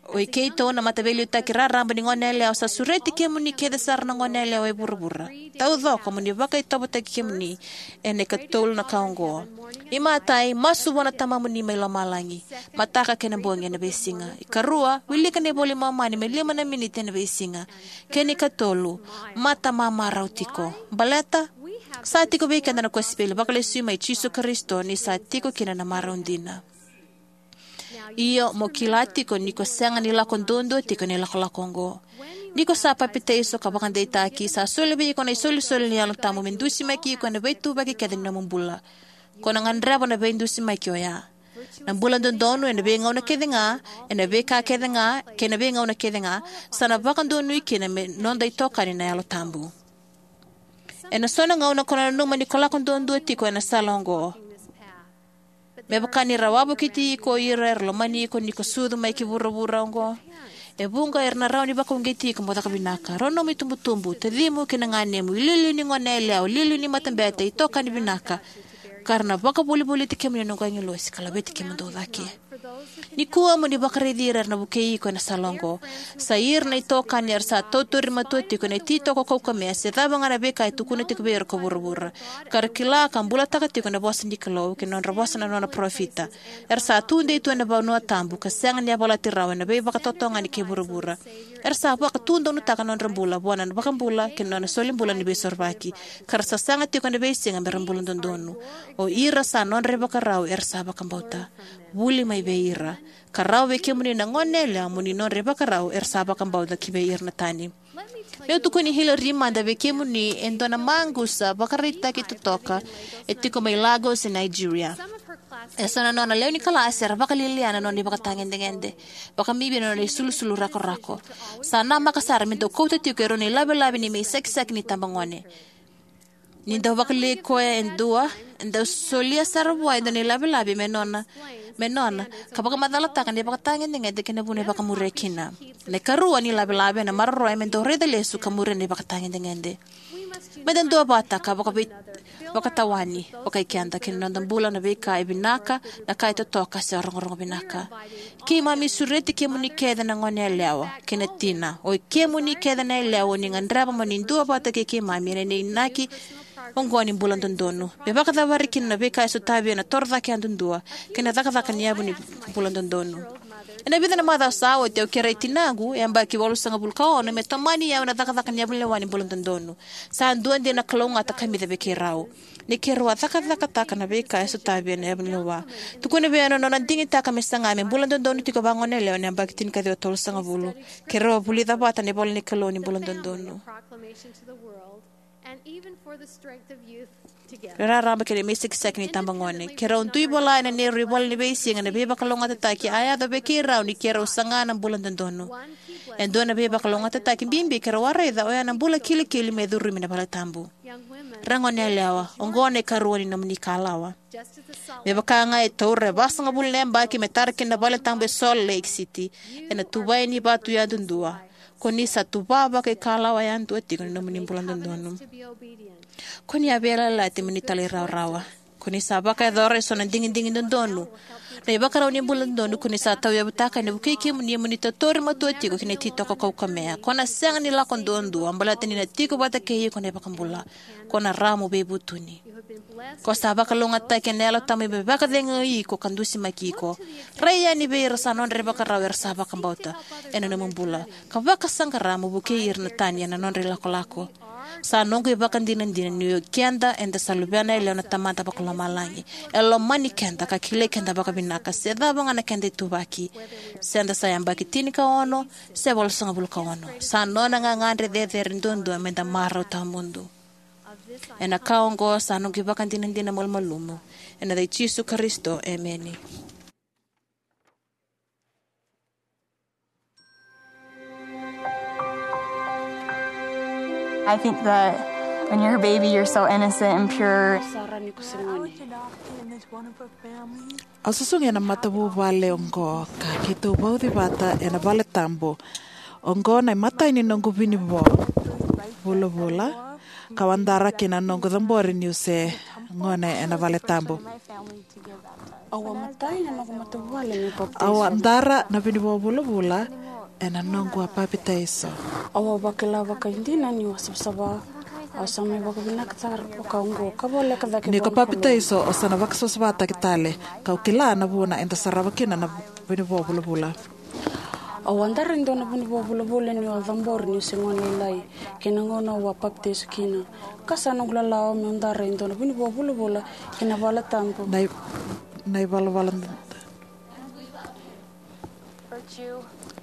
O i keitou na mataveiliutaki raraba ni goneyalewa, sa sureti kemuni kece sara na goneyalewa e vuravura taucoko mo ni vakaitovotaki kemuni ena ikatolu na ka oqo. Imatai, masu vua na Tamamuni mai lomalagi, mataka kei na bogi ena veisiga. Ikarua, wilika na iVola i Momani me lima na miniti ena veisiga. Kei na ikatolu, mata mamarau tiko. Baleta, sa tiko vei keda na kosipeli vakalesui mai Jisu Karisito ni sa tiko kina na marau dina. Io, mo kila tiko ni ko sega ni lako duadua tiko ena ilakolako oqo. Ni ko sa papitaiso ka vakadeitaki, sa soli vei iko na isolisoli ni Yalo Tabu me dusimaki iko ena veituvaki kece ni nomu bula. Ko na gadreva na veidusimaki oya. Na bula dodonu ena veigauna kece ga, ena veika kece ga, kei na veigauna kece ga, sa na vakadonui kina me noda itokani na Yalo Tabu. Ena so na gauna ko na nanuma ni ko lako duadua tiko ena sala oqo. Me vaka ni ra wavokiti iko o ira era lomani iko ni ko sucu mai ki vuravura oqo. E vuqa era na rawa ni vakauqeti iko mo caka vinaka. Rau nomu itubutubu, tacimu kei na ganemu, iliuliu ni goneyalewa, iliuliu ni matabete, itokani vinaka, ka ra na vakavolivoliti kemuni na noqu agilosi ka laveti kemudou cake. Nikua mo ni vakaraici ira era na vukei iko ena sala oqo. Sa ira na itokani era sa tautauri matua tiko ena ititoko kaukamea se cava ga na veika e tukuna tiko vei ira ko vuravura, ka ra kila ka bulataka tiko na vosa ni Kalou kei na nodra vosa na nona parofita. Era sa tudei tu ena vanua tabu ka sega ni yavalati rawa ena veivakatotogani kei vuravura. Era sa vakatudonutaka na nodra bula vua na iVakabula kei na nona solibula ni veisorovaki, ka ra sa saga tiko ena veisiga me ra bula dodonu. O ira sa nodra ivakarau era sa vakabauta. Vuli mai vei ira. Ka rawa vei kemuni na goneyalewa mo ni nodra ivakarau era sa vakabauta ki vei ira na tani. Meu tukuni Hillary mada vei kemuni e dua na maqusa vakaraitaki totoka e tiko mai Lagos e Nigeria. E so na nona lewe ni kalasi era vakalialia na nona ivakatagedegede, vakabibi na nona isulusulu rakorako. Sa namaka sara me dau kauta tiko e rua na ilavelave ni mai sakisaki ni tabagone. Ni dau vakalialia koya e dua, e dau solia sara vua e dua na ilavelave me nona, me nona, ka vakamacalataka na ivakatagedegede kei na vuna e vakamuria kina. Na ikarua ni lavelave ena maroroya me dau raica lesu ka muria na ivakatagedegede. Me da duavata ka vakavei-, vakatawani vakai keda kei na noda bula na veika e vinaka, na ka e totoka se rogorogo vinaka. Keimami sureti kemuni kece na goneyalewa kei na tina, o i kemuni kece na yalewa, ni gadreva mo ni duavata kei keimami ena inaki oqo ni bula dodonu. Me vakacavari kina na veika e sotavi ena torocake yadudua kei na cakacaka ni yavu ni bula dodonu. Ena vica na macawa sa oti au kerei tinaqu, e yabaki walusagavulu ka ono, me tomani au ena cakacaka ni yavu lewa ni bula dodonu. Sa dua dina na kalougata kamica vei keirau ni keirau a cakacakataka na veika e sotavi ena yavu lewa. Tukuna vei au na nona digitaka me saga me bula dodonu tiko vakagoneyalewa ena yabaki tinikaciwa tolusagavulu. Keirau a vulica vata na ivola ni Kalou ni bula dodonu. Raraba kei na mai sakisaki ni tabagone. Keirau dui vola ena neirau ivola ni veisiga na veivakalougatataki a yaco vei keirau ni keirau saga na bula dodonu. E dua na veivakalougatataki bibi keirau a raica oya na bula kilikili me curumi na vale tabu. Ra goneyalewa, oqo na ikarua ni nomuni ikalawa. Me vaka ga e taura e vasagavulu na yabaki me tara kina na vale tabu e Salt Lake City, ena tuvai ni vatu yadudua, ko ni sa tuva vakaikalawa yadua tiko ni nomuni bula dodonu. Ko ni a veiyalayalati mo ni talairawarawa. Ko ni sa vakayacora eso na digidigi dodonu. Na ivakarau ni bula dodonu ko ni sa tauyavutaka ena vukei kemuni mo ni tautauri matua tiko ki na ititoko kaukamea. Ko na sega ni lako duadua, baleta ni na tiko vata kei iko na iVakabula. Ko na rawa mo veivutuni. Ko sa vakalougatataki ena Yalo Tabu me vakacegui iko ka dusimaki iko. Rai yani vei ira sa nodra ivakarau era sa vakabauta ena nomu bula, ka vakasaqara mo vukei ira na tani ena nodra ilakolako. Sa noqu ivakadinadina ni o keda eda sa luvena yalewa na Tamada Vakalomalagi. E lomani keda ka kilai keda vakavinaka, se cava ga na keda ituvaki. Se da sa yabaki tinikaono se walusagavulu ka ono, sa nona gagadre cecere duadua me da marau tawamudu. Ena ka oqo sa noqu ivakadinadina malumalumu. Ena yaca i Jisu Karisito, emeni. I think that when you're a baby, you're so innocent and pure. Au susugi ena matavuvale oqo ka keitou vauci vata ena vale tabu. Oqo na imatai ni noqu vinivo vulavula ka wadara kina noqu cabori niu se gone ena vale tabu. Au a matai na noqu matavuvale niu papitaiso. Au a dara na vunivoa vulavula ena noqu a papitaiso. Au a vakila vakaidina niu a savasava. Au sa mai vakavinaka sara vaka oqo ka voleka cake. Ni ko papitaiso, o sa na vakasavasavataki tale. Kau kila na vuna eda sarava kina na vunivoa vulavula. Au a dara e dua na vunivoa vulavula niu a cabori niu se gone lailai, kei na gauna au a papitaiso kina. Ka sa noqu lalawa meu dara e dua na vunivoa vulavula kei na vale tabu. Na i-, na ivalavala d-,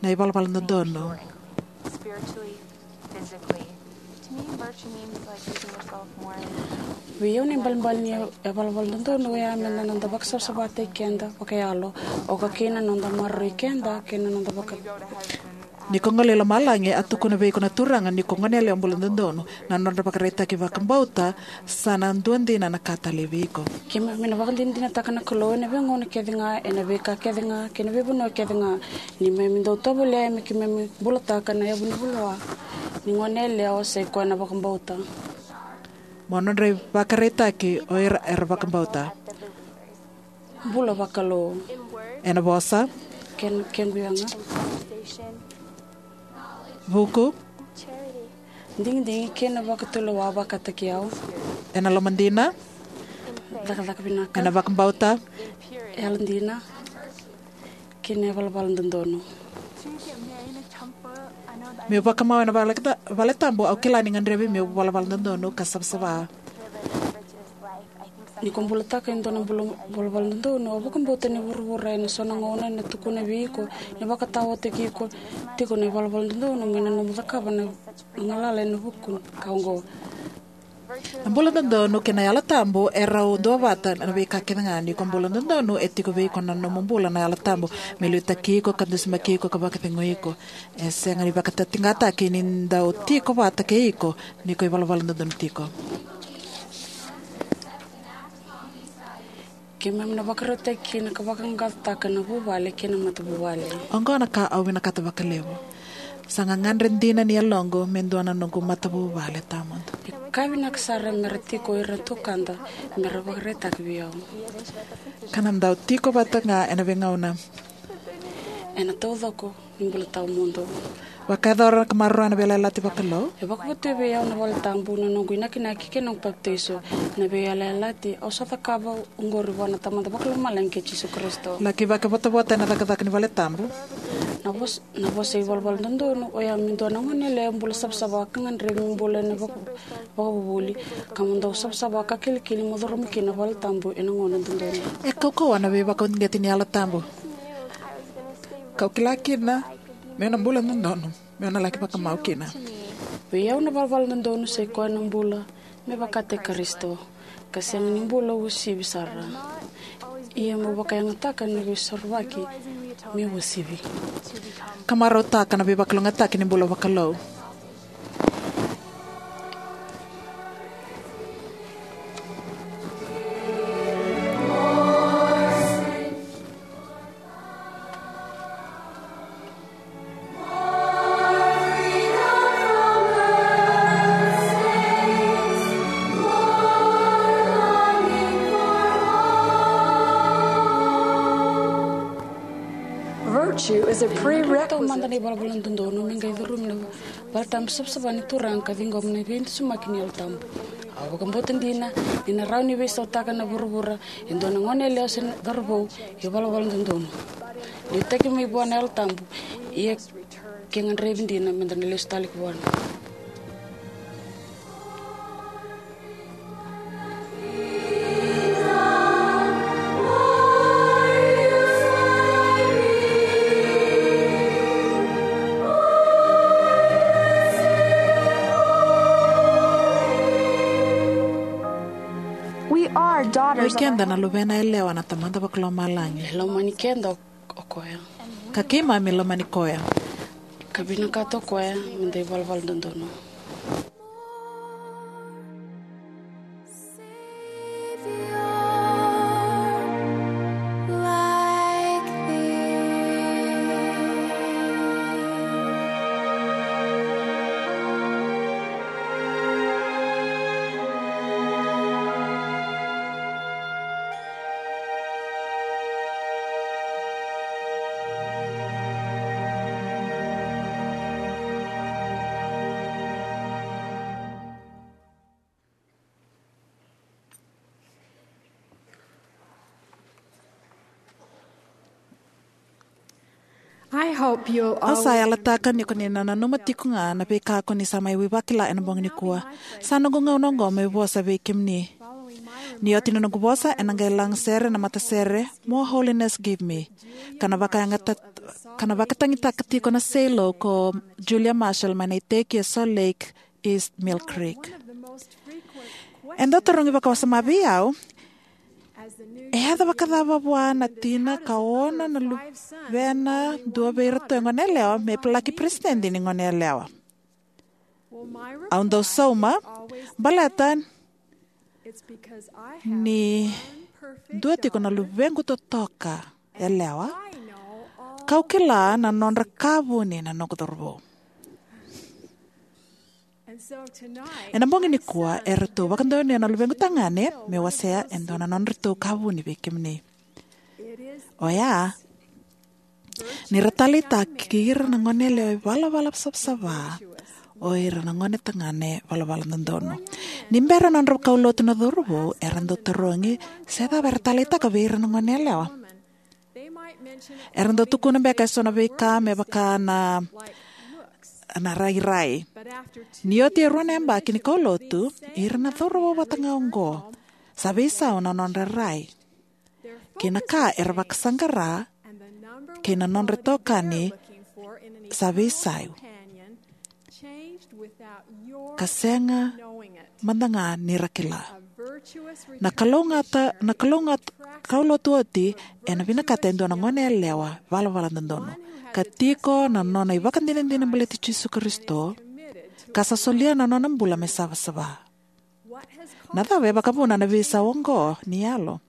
na ivalavala dodonu. Vei au na ibalebale ni ivalavala dodonu oya me na noda vakasavasavataki keda vakayalo, oka kina na noda maroroi keda kei na noda vaka. Ni ko gole i lomalagi, a tukuna vei iko na Turaga ni ko gone yalewa bula dodonu. Na nodra vakaraitaki vakabauta sa na dua dina na ka talei vei iko. Keimami na vakadinadinataka na Kalou ena veigauna kece ga, ena veika kece ga kei na veivanua kece ga. Ni keimami dau tovolea me keimami bulataka na yavu ni vunivoa ni gone yalewa, sa i koya na vakabauta. Mo nodra ivakaraitaki o ira era vakabauta. Bula vakalou. Ena vosa. Kei na kequ yaga. Vuku. Digidigi kei na vakatulewa vakataki au. Ena lomadina. Cakacaka vinaka. Ena vakabauta. Yalodina. Kei na ivalavala dodonu. Meu vakamau ena vale, vale tabu, au kila ni gadrevi meu valavala dodonu ka savasava. Ni ko bulataka e dua na bula, valavala dodonu, au vakabauta ni vuravura ena so na gauna ena tukuna vei iko ni vakataotaki iko tiko na ivalavala dodonu mai na nomu cakava na galala ena vuku ka oqo. Na bula dodonu kei na Yalo Tabu e rau duavata na veika kece ga. Ni ko bula dodonu, e tiko vei iko na nomu bula na Yalo Tabu me liutaki iko ka dusimaki iko ka vakacegui iko. E sega ni vakatitiqataki ni dau tiko vata kei iko ni ko ivalavala dodonu tiko. Keimami na vakarautaki kina ka vaqaqacotaka na vuvale kei na matavuvale. Oqo na ka au vinakata vakalevu. Sa gagadre dina ni yaloqu me dua na noqu matavuvale tawamudu. E ka vinaka sara mera tiko ira na tukada mera vakaraitaka vei au. Ka na dau tiko vata ga ena veigauna. Ena taucoko ni bula tawamudu. Vakayacora ka maroroya na veiyalayalati vakalou. E vakavotuya vei au na vale tabu na noqu inakinaki kei na noqu papitaiso. Na veiyalayalati au sa cakava oqori vua na Tamada Vakalomalagi kei Jisu Karisito. Laki vakavotavota ena cakacaka ni vale tabu. Na vosa, na vosa ivalavala dodonu oya me dua na gone yalewa bula savasava ka gadrevi me bula ena vaka, vakavuvuli, ka mo dau savasava ka kilikili mo curuma kina na vale tabu ena gauna dodonu. E kaukauwa na veivakauqeti ni Yalo Tabu. Kau kila kina meu na bula dodonu meu na laki vakamau kina. Vei au na valavala dodonu sa i koya na bula me vakataki Karisito, ka sega ni bula uasivi sara. Ia meu vakayagataka na veisorovaki me uasivi. Ka marautaka na veivakalougatataki ni bula vakalou. Virtue is a prerequisite. Taumada na ivalavala dodonu me qai curumi na vale tabu savasava ni Turaga ka ciqoma na veidusumaki ni Yalo Tabu. Au vakabauta dina ni na rawa ni veisautaka na vuravura e dua na gone yalewa se na cauravou e ivalavala dodonu. Liutaki mai vua na Yalo Tabu, ia ke gadrevi dina meda na lesu tale ki vua. We are daughters. Oi keda na luvena yalewa na Tamada Vakalomalagi. E lomani keda o koya. Ka keimami lomani koya. Ka vinakata o koya meda ivalavala dodonu. I hope you'll Au sa always yalataka ni ko ni na nanuma tiko ga na veika ko ni sa mai vakila ena bogi nikua. Sa noqu gauna oqo meu vosa vei kemuni. Ni oti na noqu vosa, ena qai lagasere na matasere More Holiness Give Me, ka na vakayagata, ka na vakatagitaka tiko na Selah ko Julia Marshall mai na iteki e Salt Lake East Mill Creek. E dau tarogi vakawasoma vei au, e yaco vakacava vua na tina ka ona na luvena dua vei iratou e gone yalewa me laki peresitedi ni gone yalewa? Au dau sauma, baleta ni dua tiko na luvequ totoka yalewa, kau kila na nodra ka vuni na noqu cauravou. Ena bogi nikua, eratou vakadonuya na luvequ tagane me wasea e dua na nodratou ka vuni vei kemuni. Oya, ni ra taleitaki ira na gone yalewa ivalavala savasava o ira na gone tagane valavala dodonu. Ni bera na nodra kaulotu na cauravou, era dau tarogi se cava era taleitaka vei ira na gone yalewa. Era dau tukuna beka eso na veika me vaka na, na rairai. Ni oti e rua na yabaki ni kaulotu, ira na cauravou vata ga oqo sa veisau na nodra rai kei na ka era vakasaqara, kei na nodra itokani sa veisau, ka sega mada ga ni ra kila. Na kalougata, na kalougata, kaulotu oti ena vinakata e dua na gone yalewa valavala dodonu, ka tiko na nona ivakadinadina baleti Jisu Karisito, ka sa solia na nona bula me savasava. Na cava e vakavuna na veisau oqo ni yalo?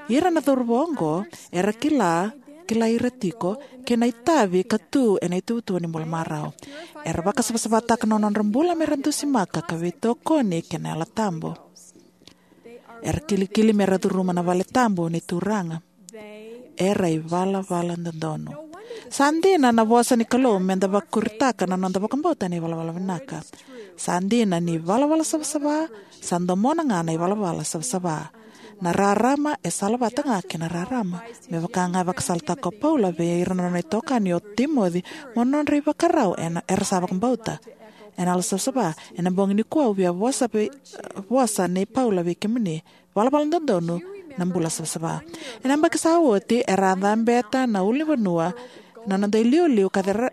Ira na cauravou oqo era kila, kila ira tiko, kei na itavi ka tu ena ituvatuva ni bula marau. Era vakasavasavataka na nodra bula me ra dusimaka ka veitokoni kei na Yalo Tabu. Era kilikili me ra curuma na vale tabu ni Turaga. Era ivalavala dodonu. Sa dina na vosa ni Kalou me da vakuritaka na noda vakabauta ena ivalavala vinaka. Sa dina ni ivalavala savasava sa domona ga na ivalavala savasava. Na rarama e salavata ga kei na rarama. Me vaka ga e vakasalataka o Paula vei ira na nona itokani o Timoci, mo nodra ivakarau ena, era sa vakabauta. Ena yalo savasava, ena bogi nikua au via vosa vei, vosa nei Paula vei kemuni. Valavala dodonu na bula savasava. Ena yabaki sa oti, era a cabeta na ulunivanua na noda iliuliu ka cera-,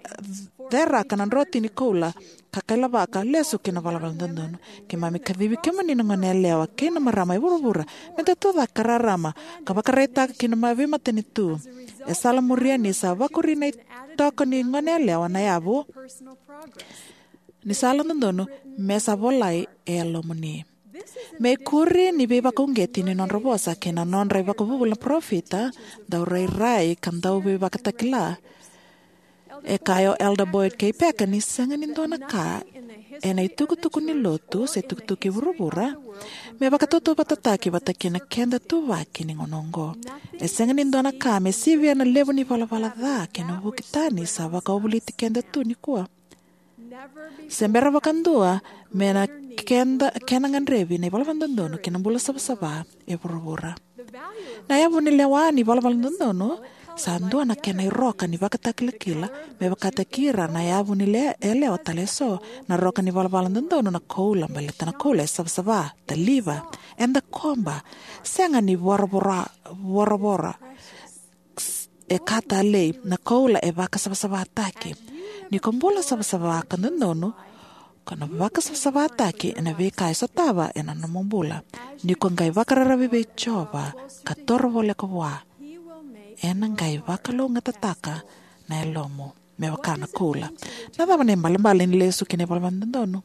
ceraka na drotini koula, ka kailavaka lesu ki na valavala dodonu. Keimami kacivi kemuni na gone yalewa kei na marama e vuravura me da tucake ka rarama, ka vakaraitaka ki na ma-, veimatanitu e sala muria ni sa vakuri na itoko ni gone yalewa na yavu ni sala dodonu me sa volai e yalomuni. Me ikuri ni veivakauqeti ni nodra vosa kei na nodra ivakavuvuli na parofita, dau rairai ka dau veivakatakila. E kaya o Elder Boyd K. Packer ni sega ni dua na ka ena itukutuku ni lotu se itukutuku i vuravura me vakatautauvatataki vata kei na keda ituvaki ni gauna oqo. E sega ni dua na ka me sivia na levu ni valavala ca kei na vuki tani sa vakawavoliti keda tu nikua. Se bera vakadua me na keda, kena gadrevi na ivalavala dodonu kei na bula savasava e vuravura. Na yavu ni lewa ni valavala dodonu sa dua na kena iroka ni vakatakilakila me vakataki ira na yavu ni le-, yalewa tale eso. Na roka ni valavala dodonu na koula, baleta na koula e savasava, taliva, eda koba, sega ni voravora, voravora. E ka talei, na koula e vakasavasavataki. Ni ko bula savasava ka dodonu, ko na vakasavasavataki ena veika e sotava ena nomu bula. Ni ko qai vakararavi vei Jiova ka toro voleka vua, ena qai vakalougatataka na yalomu me vaka na koula. Na cava na ibalebale ni lesu ki na ivalavala dodonu?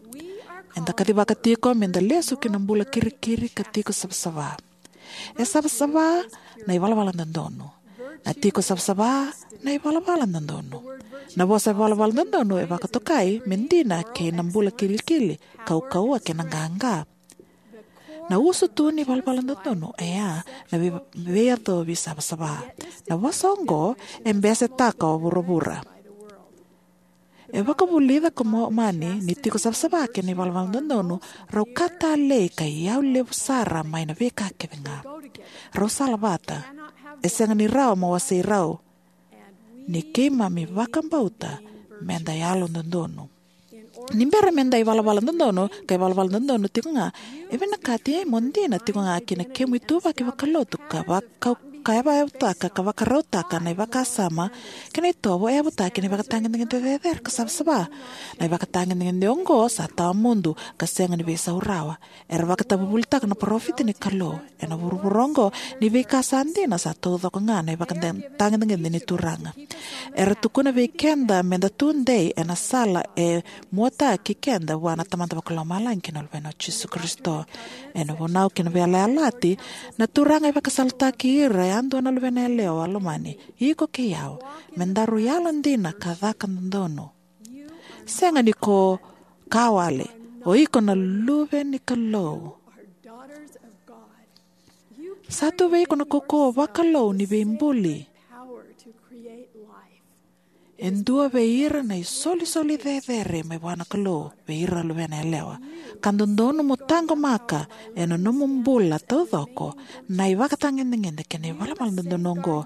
Eda kacivaka tiko me da lesu ki na bula kirikiri ka tiko savasava. E savasava na ivalavala dodonu. Na tiko savasava na ivalavala dodonu. Na vosa ivalavala dodonu e vakatokai me dina kei na bula kilikili, kaukauwa kei na qaqa. Na usutu ni valavala dodonu e a na vei-, veiyacovi savasava. Na vosa oqo e besetaka o vuravura. E vakavulica ko Momani ni tiko savasava kei na ivalavala dodonu rau ka talei ka iyau levu sara mai na veika kece ga. Rau sala vata. E sega ni rawa mo wasei rau. ni keimami vakabauta meda yalododonu. Ni bera meda ivalavala dodonu, ka ivalavala dodonu tiko ga, e vinakati mo dina tiko ga ki na kemu ituvaki vakalotu ka vaka ka yavayavutaka ka vakarautaka na ivakasama kei na itovo e yavutaki na ivakatagedegede cecere ka savasava. Na ivakatagedegede oqo sa tawamudu ka sega ni veisau rawa. Era vakatavuvulitaka na parofita ni Kalou ena vuravura oqo ni veika sa dina sa taucoko ga na ivakatagedegede ni Turaga. Era tukuna vei keda meda tudei ena sala e muataki keda vua na Tamada Vakalomalagi kei na Luvena o Jisu Karisito. Ena vunau kei na veiyalayalati, na Turaga e vakasalataki ira yadua na luvena yalewa lomani, iko kei au, me daru yalodina ka caka dodonu. Sega ni ko ka wale, o iko na luve ni Kalou. Sa tu vei iko na kaukauwa vakalou ni veibuli. E dua vei ira na isolisoli cecere mai vua na Kalou vei ira luvena yalewa. Ka dodonu mo taqomaka ena nomu bula taucoko na ivakatagedegede kei na ivalavala dodonu oqo.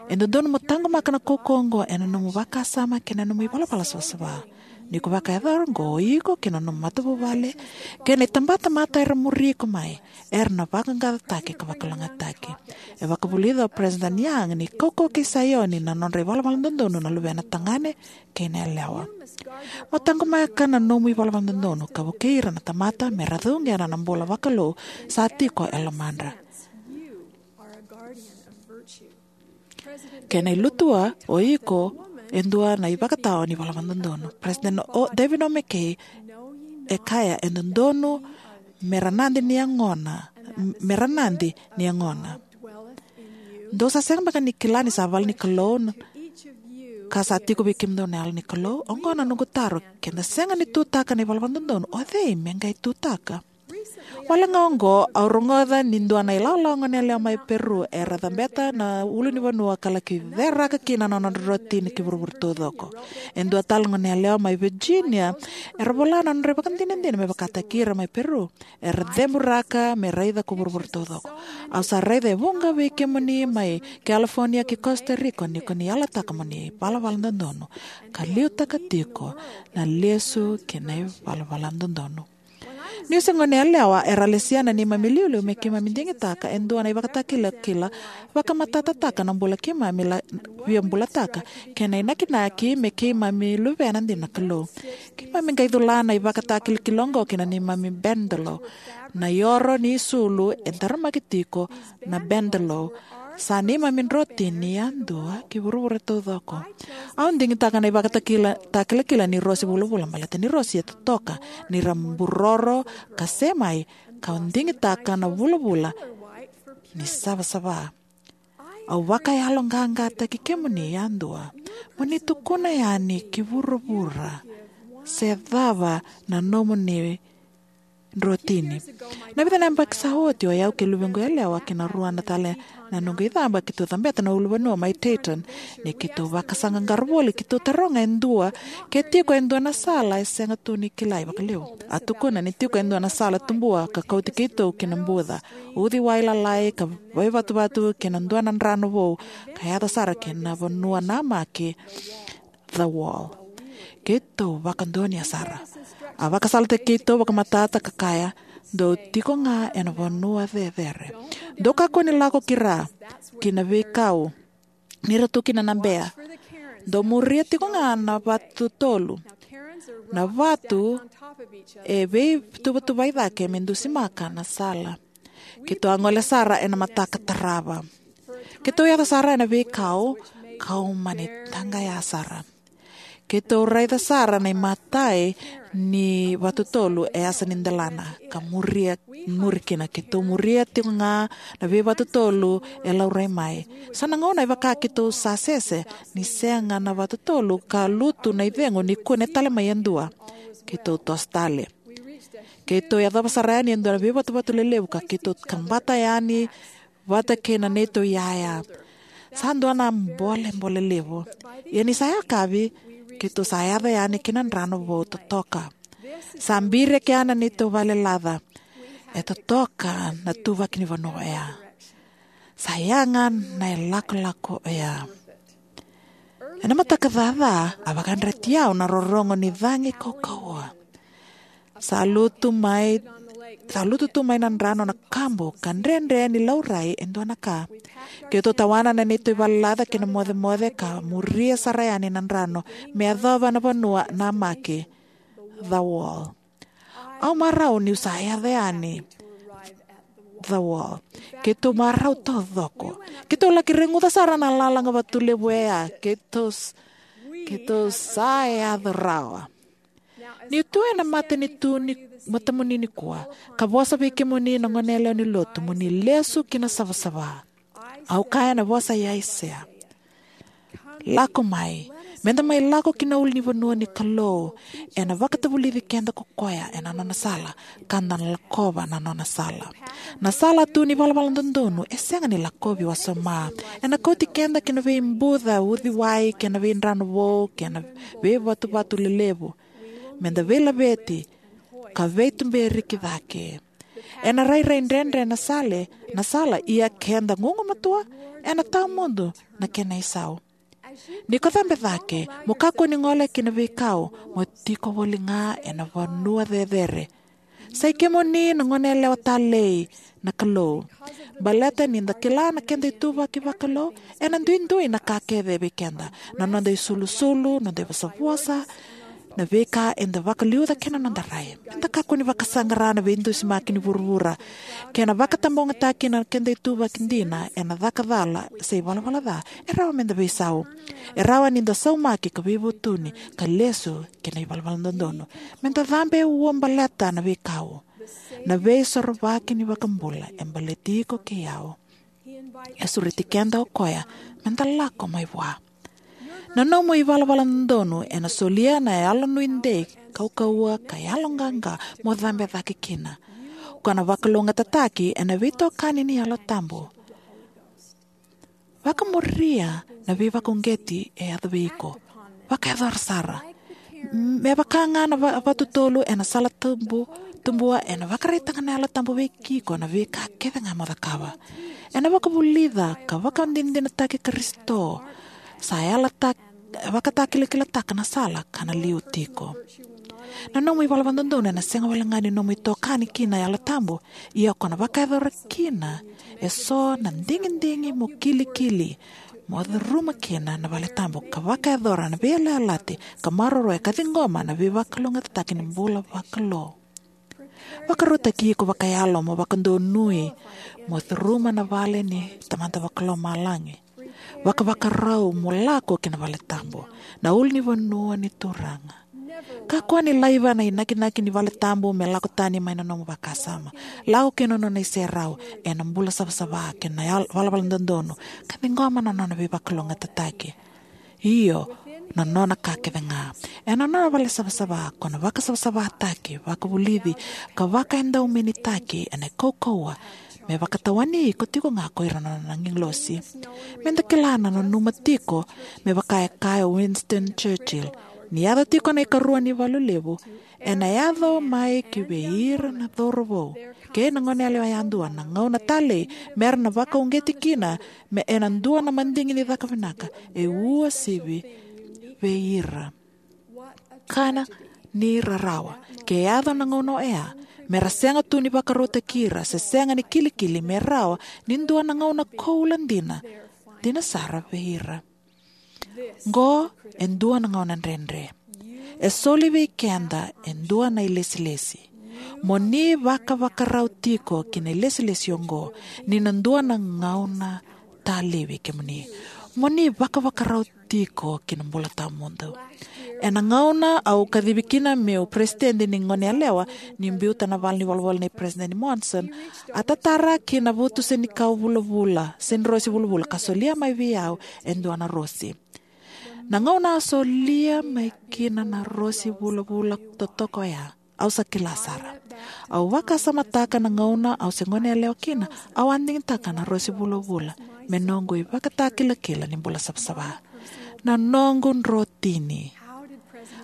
E dodonu mo taqomaka na kaukauwa oqo ena nomu vakasama kei na nomu ivalavala savasava. Ni ko vakayacora oqo, o iko kei na nomu matavuvale kei na itabatamata era muri iko mai, era na vaqaqacotaki ka vakalougatataki. E vakavulica o President Young ni kaukauwa kei Saioni na nodra ivalavala dodonu na luvena tagane kei na yalewa. Mo taqomaka na nomu ivalavala dodonu ka vukei ira na tamata me ra cuqena na bula vakalou sa tiko e lomadra. Kena ilutua, o iko e dua na ivakatawa ni ivalavala dodonu. President o David O. McKay e kaya, e dodonu me ra nadi ni yagona, me ra nadi ni yagona. Dou sa sega beka ni kila ni sa vale ni Kalou na ka sa tiko vei kemudou na yalo ni Kalou? Oqo na noqu taro, keda sega ni tutaka na ivalavala dodonu, o cei me qai tutaka? Wale ga oqo, au rogoca ni dua na ilawalawa goneyalewa mai Peru era cabeta na ulunivanua ka laki ceraka kina na nodra rotini ki vuravura taucoko. E dua tale goneyalewa mai Virginia era vola na nodra ivakadinadina me vakataki ira mai Peru era ceburaka me raica ko vuravura taucoko. Au sa raica e vuqa vei kemuni mai California ki Costa Rica ni ko ni yalataka mo ni valavala dodonu ka liutaka tiko na lesu kei na ivalavala dodonu. Niu se goneyalewa era lesia na neimami iliuliu me keimami digitaka e dua na ivakatakilakila vakamatatataka na bula keimami la via bulataka kei na inakinaki me keimami luvena dina na Kalou. Keimami qai cula na ivakatakilakila oqo ki na neimami bendelo. Na ioro ni isulu e daramaki tiko na bendelo. Sa neimami drotini yadua ki vuravura taucoko. Au digitaka na ivakatakila takilakila ni rosi vulavula baleta ni rosi e totoka ni ra buroro ka semai, kau digitaka na vulavula ni savasava. Au vakayaloqaqataki kemuni yadua mo ni tukuna yani ki vuravura se cava na nomuni drotini. Na vica na yabaki sa oti, o yau kei luvequ yalewa kei na rua na tale na noqu icaba keitou cabeta na ulunivanua mai Dayton. Ni keitou vakasaqaqara voli, keitou taroga e dua ke tiko e dua na sala e sega tu ni kilai vakalevu. A tukuna ni tiko e dua na sala tubua ka kauti keitou ki na buca, uciwai lalai ka vaivatuvatu kei na dua na drano vou ka yaco sara ki na vanua namaki, The Wall. Keitou vakadonuya sara. A vakasalataki keitou vakamatata ka kaya, dou tiko ga ena vanua cecere. Dou kakua ni lako ki ra, ki na veikau ni ra tu kina na bea. Dou muria tiko ga na vatu tolu. Na vatu e veituvatuvai cake me dusimaka na sala. Keitou a gole sara ena mataka tarava. Keitou yaco sara ena veikau kau mani taqaya sara. Keitou raica sara na imatai ni vatu tolu e yasa ni delana ka muria, muri kina. Keitou muria tiko ga na veivatu tolu e laurai mai. So na gauna e vaka keitou sa sese ni sega na vatu tolu ka lutu na icegu ni kune tale mai e dua. Keitou toso tale. Keitou yacova sara yani e dua na veivatuvatu lelevu ka keitou kabata yani vata kei na neitou iyaya. Sa dua na bolebole levu. Ia ni sa yakavi, keitou sa yaco yani ki na drano vou totoka. Sa bireke yani na neitou vale laca. E totoka na tuvaki ni vanua oya. Sa yaga na ilakolako oya. Ena mataka caca, a vakayadrati au na rorogo ni cagi kaukauwa. Sa lutu mai, sa lutu tu mai na drano na kabu ka dredre ni laurai e dua na ka. Keitou tawana na neitou ivalelaca kei na mocemoce ka muria sara yani na drano me yacova na vanua namaki, the wall. Au marau niu sa yaco yani the wall. Keitou marau taucoko. Keitou laki reguca sara na lalaga vatu levu e ya. Keitou s-, keitou sa yaco rawa. Niu tu ena mata ni tu ni matamuni nikua, ka vosa vei kemuni na goneyalewa ni lotu, mo ni lesu ki na savasava. Au kaya na vosa i Aisea. Lako mai, meda mai lako ki na ulunivanua ni Kalou, ena vakatavulici keda ko koya ena nona sala, ka da na lakova na nona sala. Na sala tu ni valavala dodonu, e sega ni lakovi wasoma. Ena kauti keda ki na veibuca uciwai, kei na veidrano vou, kei na veivatuvatu lelevu. Meda veilaveti, ka veituberi ki cake. Ena rairai dredre na sale, na sala ia keda gugumatua, ena tawamudu na kena isau. Ni ko cabe cake, mo kakua ni gole ki na veikau, mo tiko voli ga ena vanua cecere. Sa i kemuni na goneyalewa talei na Kalou. Baleta ni da kila na keda ituvaki vakalou, ena duidui na ka kece vei keda. Na noda isulusulu, noda ivosavosa, na veika eda vakaliuca kei na noda rai. Meda kakua ni vakasaqara na veidusimaki ni vuravura. Kei na vakatabogataki na keda ituvaki dina, ena caka cala, se ivalavala ca, e rawa meda veisau. E rawa ni da saumaki ka veivutuni, ka lesu, kei na ivalavala dodonu. Meda cabe ua baleta na veikau. Na veisorovaki ni vakabula, e baleti iko kei au. E sureti keda o koya, meda lako mai vua. Na nomu ivalavala dodonu, ena solia na yalonuidei, kaukauwa, ka yaloqaqa, mo cabe cake kina. Ko na vakalougatataki, ena veitokani ni Yalo Tabu. Vakamuria na veivakauqeti e yaco vei iko. Vakayacora sara. Me vaka ga na va-, vatutolu ena sala tubu, tubua ena vakaraitaka na Yalo Tabu vei iko na veika kece ga mo cakava. Ena vakavulica ka vakadinadinataki Karisito. Sa yalata-, vakatakilakilataka na sala ka na liu tiko. Na nomu ivalavala dodonu ena sega wale ga ni nomu itokani kina Yalo Tabu, ia ko na vakayacora kina eso na digidigi mo kilikili, mo curuma kina na vale tabu, ka vakayacora na veiyalayalati, ka maroroya ka ciqoma na veivakalougatataki ni bula vakalou. Vakarautaki iko vakayalo mo vakadonui, mo curuma na vale ni Tamada Vakalomalagi. Vakavakarau mo lako ki na vale tabu, na ulunivanua ni Turaga. Kakua ni laiva na inakinaki ni vale tabu me lako tani mai na nomu vakasama. Lako ki na nona iserau, ena bula savasava kei na yal-, valavala dodonu, ka ciqoma na nona veivakalougatataki. Io, na nona ka kece ga. Ena nona vale savasava, ko na vakasavasavataki, vakavulici, ka vakaedaumenitaki, ena kaukauwa, me vakatawani iko tiko ga ko ira na nona agilosi. Meda kila na nanuma tiko, me vaka e kaya o Winston Churchill, ni yaco tiko na ikarua ni valu levu, ena yaco mai ki vei ira na cauravou kei na goneyalewa yadua na gauna talei, mera na vakauqeti kina, me ena dua na madigi ni caka vinaka, e uasivi vei ira. Kana ni rarawa, ke yaco na gauna oya, mera sega tu ni vakarautaki ira, se sega ni kilikili me rawa, ni dua na gauna koula dina, dina sara vei ira. Qo, e dua na gauna dredre. E soli vei keda, e dua na ilesilesi. Mo ni vakavakarau tiko ki na ilesilesi oqo, ni na dua na gauna talei vei kemuni. Mo ni vakavakarau tiko ki na bula tawamudu. Ena gauna au kacivi kina meu peresitedi ni goneyalewa, ni biuta na vale ni volavola nei Peresitedi Monson, a tatara ki na vutu senikau vulavula, senirosi vulavula, ka solia mai vei au e dua na rosi. Na gauna a solia mai kina na rosi vulavula totoka oya, au sa kila sara. Au vakasamataka na gauna au se goneyalewa kina, au a digitaka na rosi vulavula me noqu ivakatakilakila ni bula savasava. Na noqu drotini.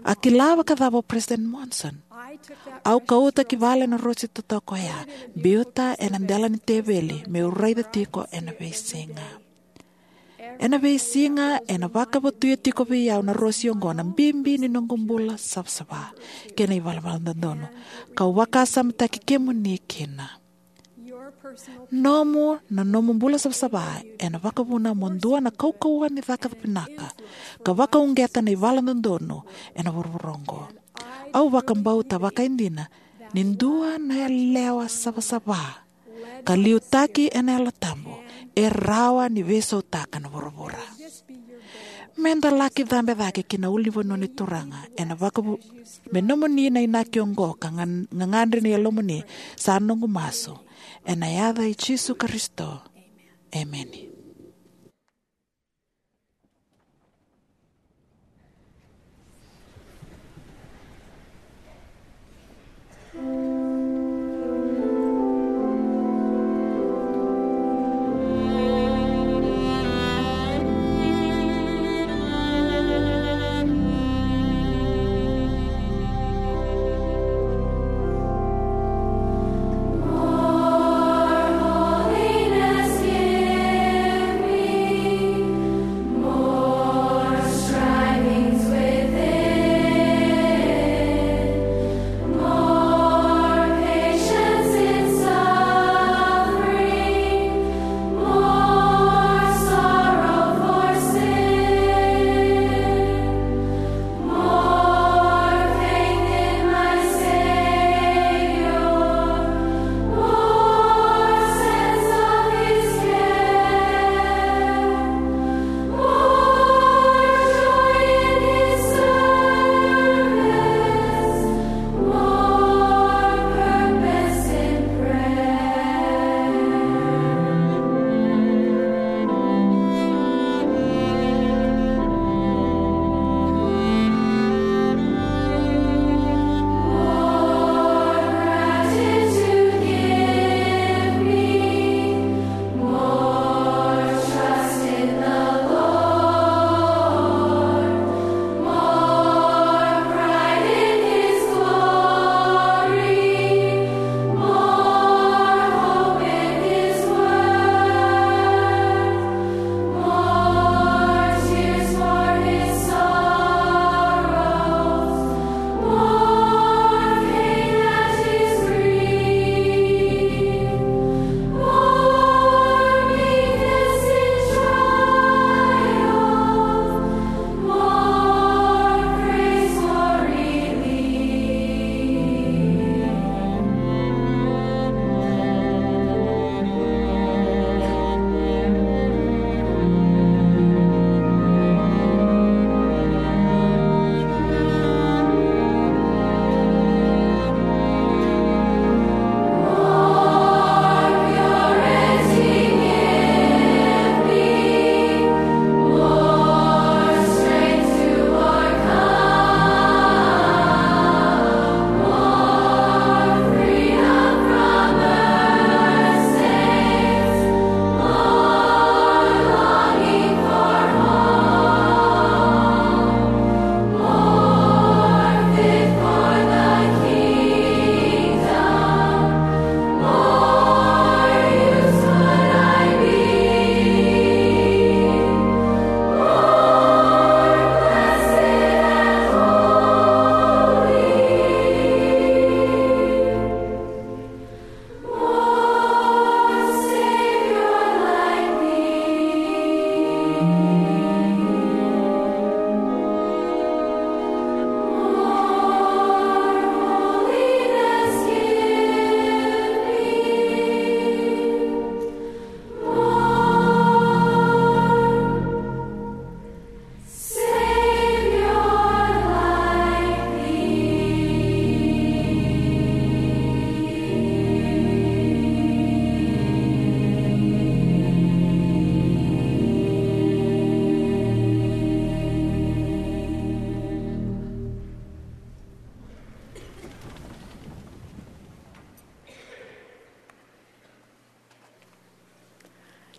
A kila vakacava o President Monson? Au kauta ki vale na rosi totoka oya, biuta ena dela ni teveli, meu raica tiko ena veisiga. Ena veisiga ena vakavotuya tiko vei au na rosi oqo, na bibi ni noqu bula savasava kei na ivalavala dodonu, kau vakasamataki kemuni kina. Nomu, na nomu bula savasava ena vakavuna mo dua na kaukauwa ni caka vinaka ka vakauqeta na ivalavala dodonu ena vuravura oqo. Au vakabauta vakaidina ni dua na yalewa savasava ka liutaki ena Yalo Tabu e rawa ni veisautaka na vuravura. Meda laki cabe cake ki na ulunivanua ni Turaga ena vakavu me nomuni na inaki oqo ka gan- gagadre na yalomuni, sa noqu masu ena yaca i Jisu Karisito. Emeni.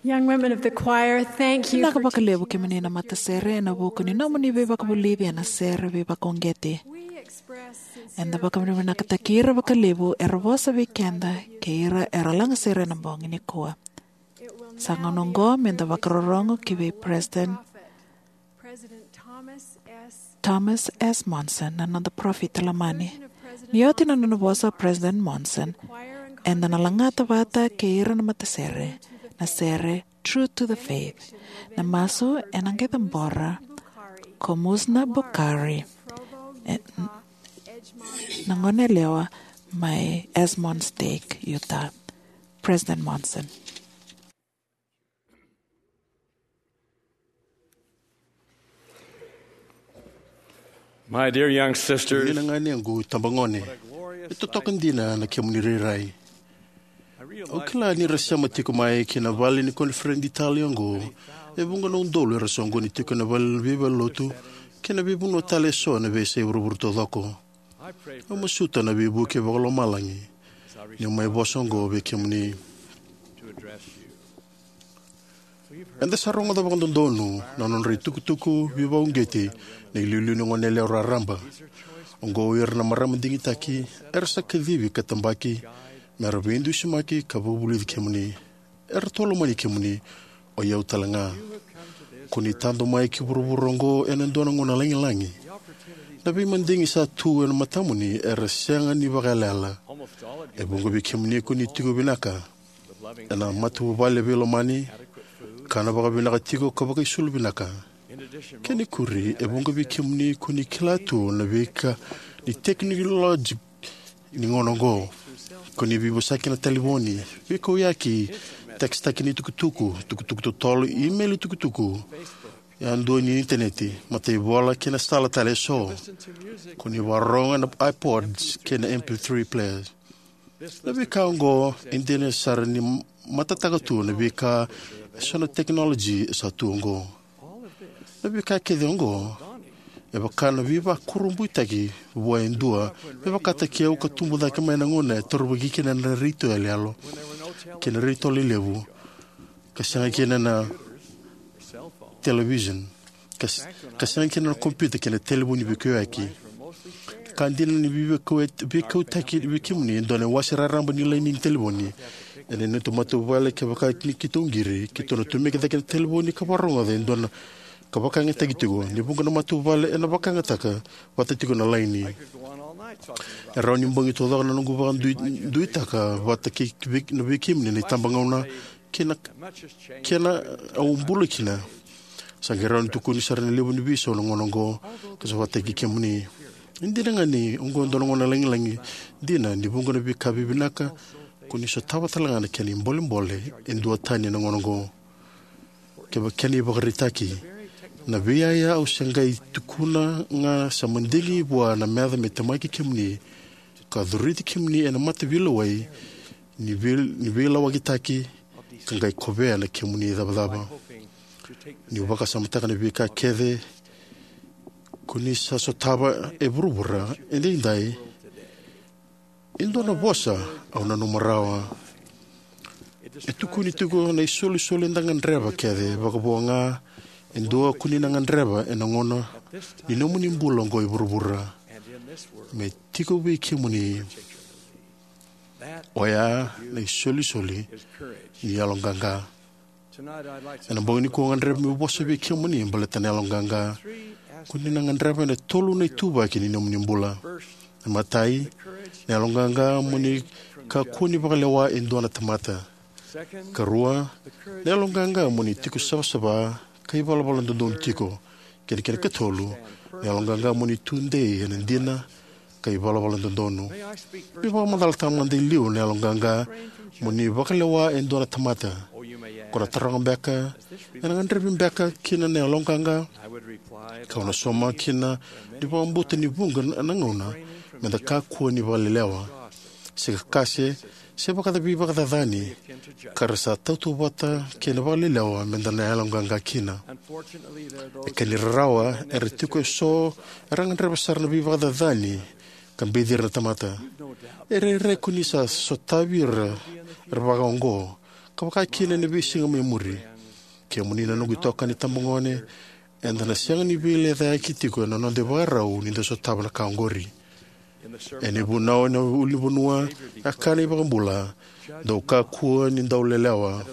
Young women of the choir, thank you. Vinaka vakalevu kemuni na matasere ena vuku ni nomuni veivakavulici ena sere veivakauqeti. Eda vakavinavinakataki ira vakalevu era vosa vei keda kei ira era lagasere ena bogi nikua. Sa gauna oqo me da vakarorogo ki vei President Thomas S. Monson, na noda parofita lomani. Ni oti na nona vosa o President Monson, eda na lagata vata kei ira na matasere na sere True to the Faith. Na masu ena qai cabora ko Musna Bukhari, e, na goneyalewa mai Edmond Stake, Utah. President Monson. My dear young sisters, na ganequ itabagone, e totoka dina na kemuni rairai. Au kila ni ra sema tiko mai ki na vale ni koniferedi talei oqo e vuqa na udolu era soqoni tiko ena vale ni veivalelotu kei na veivanua tale eso ena veiyasai vuravura taucoko. Au masuta na veivuke vakalomalagi niu mai vosa oqo vei kemuni. Eda sa rogoca vakadodonu na nodra itukutuku veivakauqeti na iliuliu ni goneyalewa raraba. Oqo o ira na marama digitaki era sa kacivi ka tabaki mera veidusimaki ka vakavulici kemuni. Eratou lomani kemuni, o i au talega. Ko ni tadu mai ki vuravura oqo ena dua na gauna lagilagi. Na veimadigi sa tu ena matamuni era sega ni vakaiyalayala. E vuqa vei kemuni ko ni tiko vinaka ena matavuvale veilomani, kana vakavinaka tiko ka vakaisulu vinaka. Kena ikuri, e vuqa vei kemuni ko ni kila tu na veika ni tekinoloji ni gauna oqo. Ko ni veivosaki ena talevoni, veikauyaki, tekisitaki ni tukutuku, tukutuku totolo, imeli tukutuku yadua ni initaneti, mataivola kei na sala tale eso. Ko ni vakarorogo ena iPods kei na M P three players. Na veika oqo e dina sara ni matataka tu na veika eso na tekinoloji e sa tu oqo. Na veika kece oqo e vaka na veivakurabuitaki vua e dua me vakataki au ka tubu cake mai na gauna e torocake kina na retio yaloyalo kei na retio lelevu, ka sega kina na television, ka, ka sega kina na kompiuta kei na talevoni veikauyaki. Ka dina ni veikau-, veikautaki vei kemuni e dua na iwase raraba ni laini ni talevoni ena neitou matavuvale, kevaka ni keitou qiri, keitou na tomika cake na talevoni ka vakarogoca e dua na ka vakayagataki tiko. Ni vuqa na matavuvale ena vakayagataka vata tiko na laini. E rawa ni bogi taucoko na noqu vakaduitaka vata kei, vei, na vei kemuni na itabagauna kei na, kei na au bula kina. Sa qai rawa ni tukuni sara na levu ni veisau na gauna oqo ka sa vakataki kemuni. E dina ga ni oqo e dua na gauna lagilagi dina, ni vuqa na veika vivinaka ko ni sotava talega na kena ibolebole e duatani na gauna oqo. Kevaka kena ivakaraitaki, na veiyaya au se qai tukuna ga sa madigi vua na meca me temaki kemuni ka curiti kemuni ena mataveilewai ni vei-, ni veilawakitaki ka qai kovea na kemuni icavacava. Niu vakasamataka na veika kece ko ni sa sotava e vuravura edaidai, e dua na vosa au nanuma rawa. E tukuni tiko na isolisoli eda gadreva kece, vakavo ga e dua ko ni na gadreva ena gauna ni nomuni bula oqo e vuravura me tiko vei kemuni. Oya na isolisoli ni yaloqaqa. Ena bogi nikua au gadreva meu vosa vei kemuni baleta na yaloqaqa ko ni na gadreva ena tolu na ituvaki ni nomuni bula. Na imatai, na yaloqaqa mo ni kakua ni vakalewa e dua na tamata. Karua, na yaloqaqa mo ni tiko savasava ka ivalavala dodonu tiko. Kei na kena ikatolu, na yaloqaqa mo ni tudei ena dina ka ivalavala dodonu. Meu vakamacalataka mada e liu na yaloqaqa mo ni vakalewa e dua na tamata. Ko na taroga beka, ena gadrevi beka kina na yaloqaqa? Kau na sauma kina ni vakabauta ni vuqa na gauna meda kakua ni vakalelewa, se kakase, se vakaca veivakacacani ka ra sa tautauvata kei na vakalelewa meda na yaloqaqa kina. E ka ni rarawa, era tiko eso era gadreva sara na veivakacacani ka beci ira na tamata. E rairai ko ni sa sotavi ira era vakaoqo, ka vakakina ena veisiga mai muri. Kemuni na noqu itokani tabagone, eda na sega ni veilecayaki tiko ena noda ivakarau ni da sotava na ka oqori. Ena ivunau ena ulunivanua, a kaya na iVakabula, dou kakua ni dau lelewa.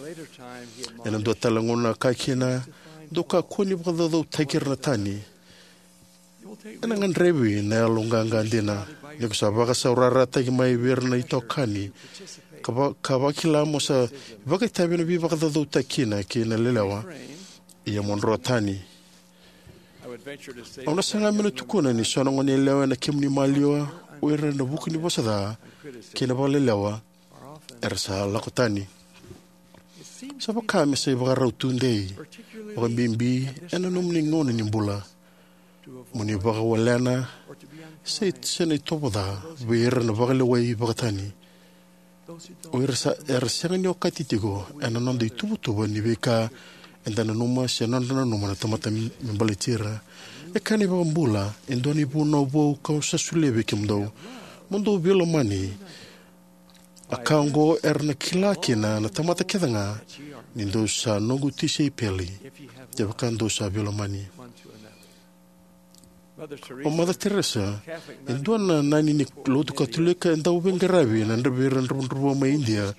Ena dua tale na gauna a kaya kina, dou kakua ni vakacaucautaki ira na tani. Ena gadrevi na yaloqaqa dina. Ni ko sa vakasaurarataki mai vei ira na itokani, ka, va, ka vakila mo sa vakaitavi ena veivakacaucautaki kina kei na lelewa, ia mo dro tani. Au na saga meu na tukuna ni so na goneyalewa ena kemuni maliwa, o ira ena vuku ni vosa ca kei na vakalelewa, era sa lako tani. Sa vaka me sa ivakarau tudei, vakabibi ena nomuni gauna ni bula, mo ni vakawalena se, se na itovo ca vei ira na vakalewai vakatani. O ira sa, era sega ni okati tiko ena noda ituvatuva ni veika eda nanuma se nodra nanuma na tamata me, me baleti ira. E kaya na iVakabula, e dua na ivunau vou kau sa solia vei kemudou. Mo dou veilomani. A ka oqo era na kila kina na tamata kece ga ni dou sa noqu tisaipeli, kevaka dou sa veilomani. O Mother Teresa, e dua na nani ni lotu Katolika e dau veiqaravi ena dra-, vei ira na dravudravua mai Idia,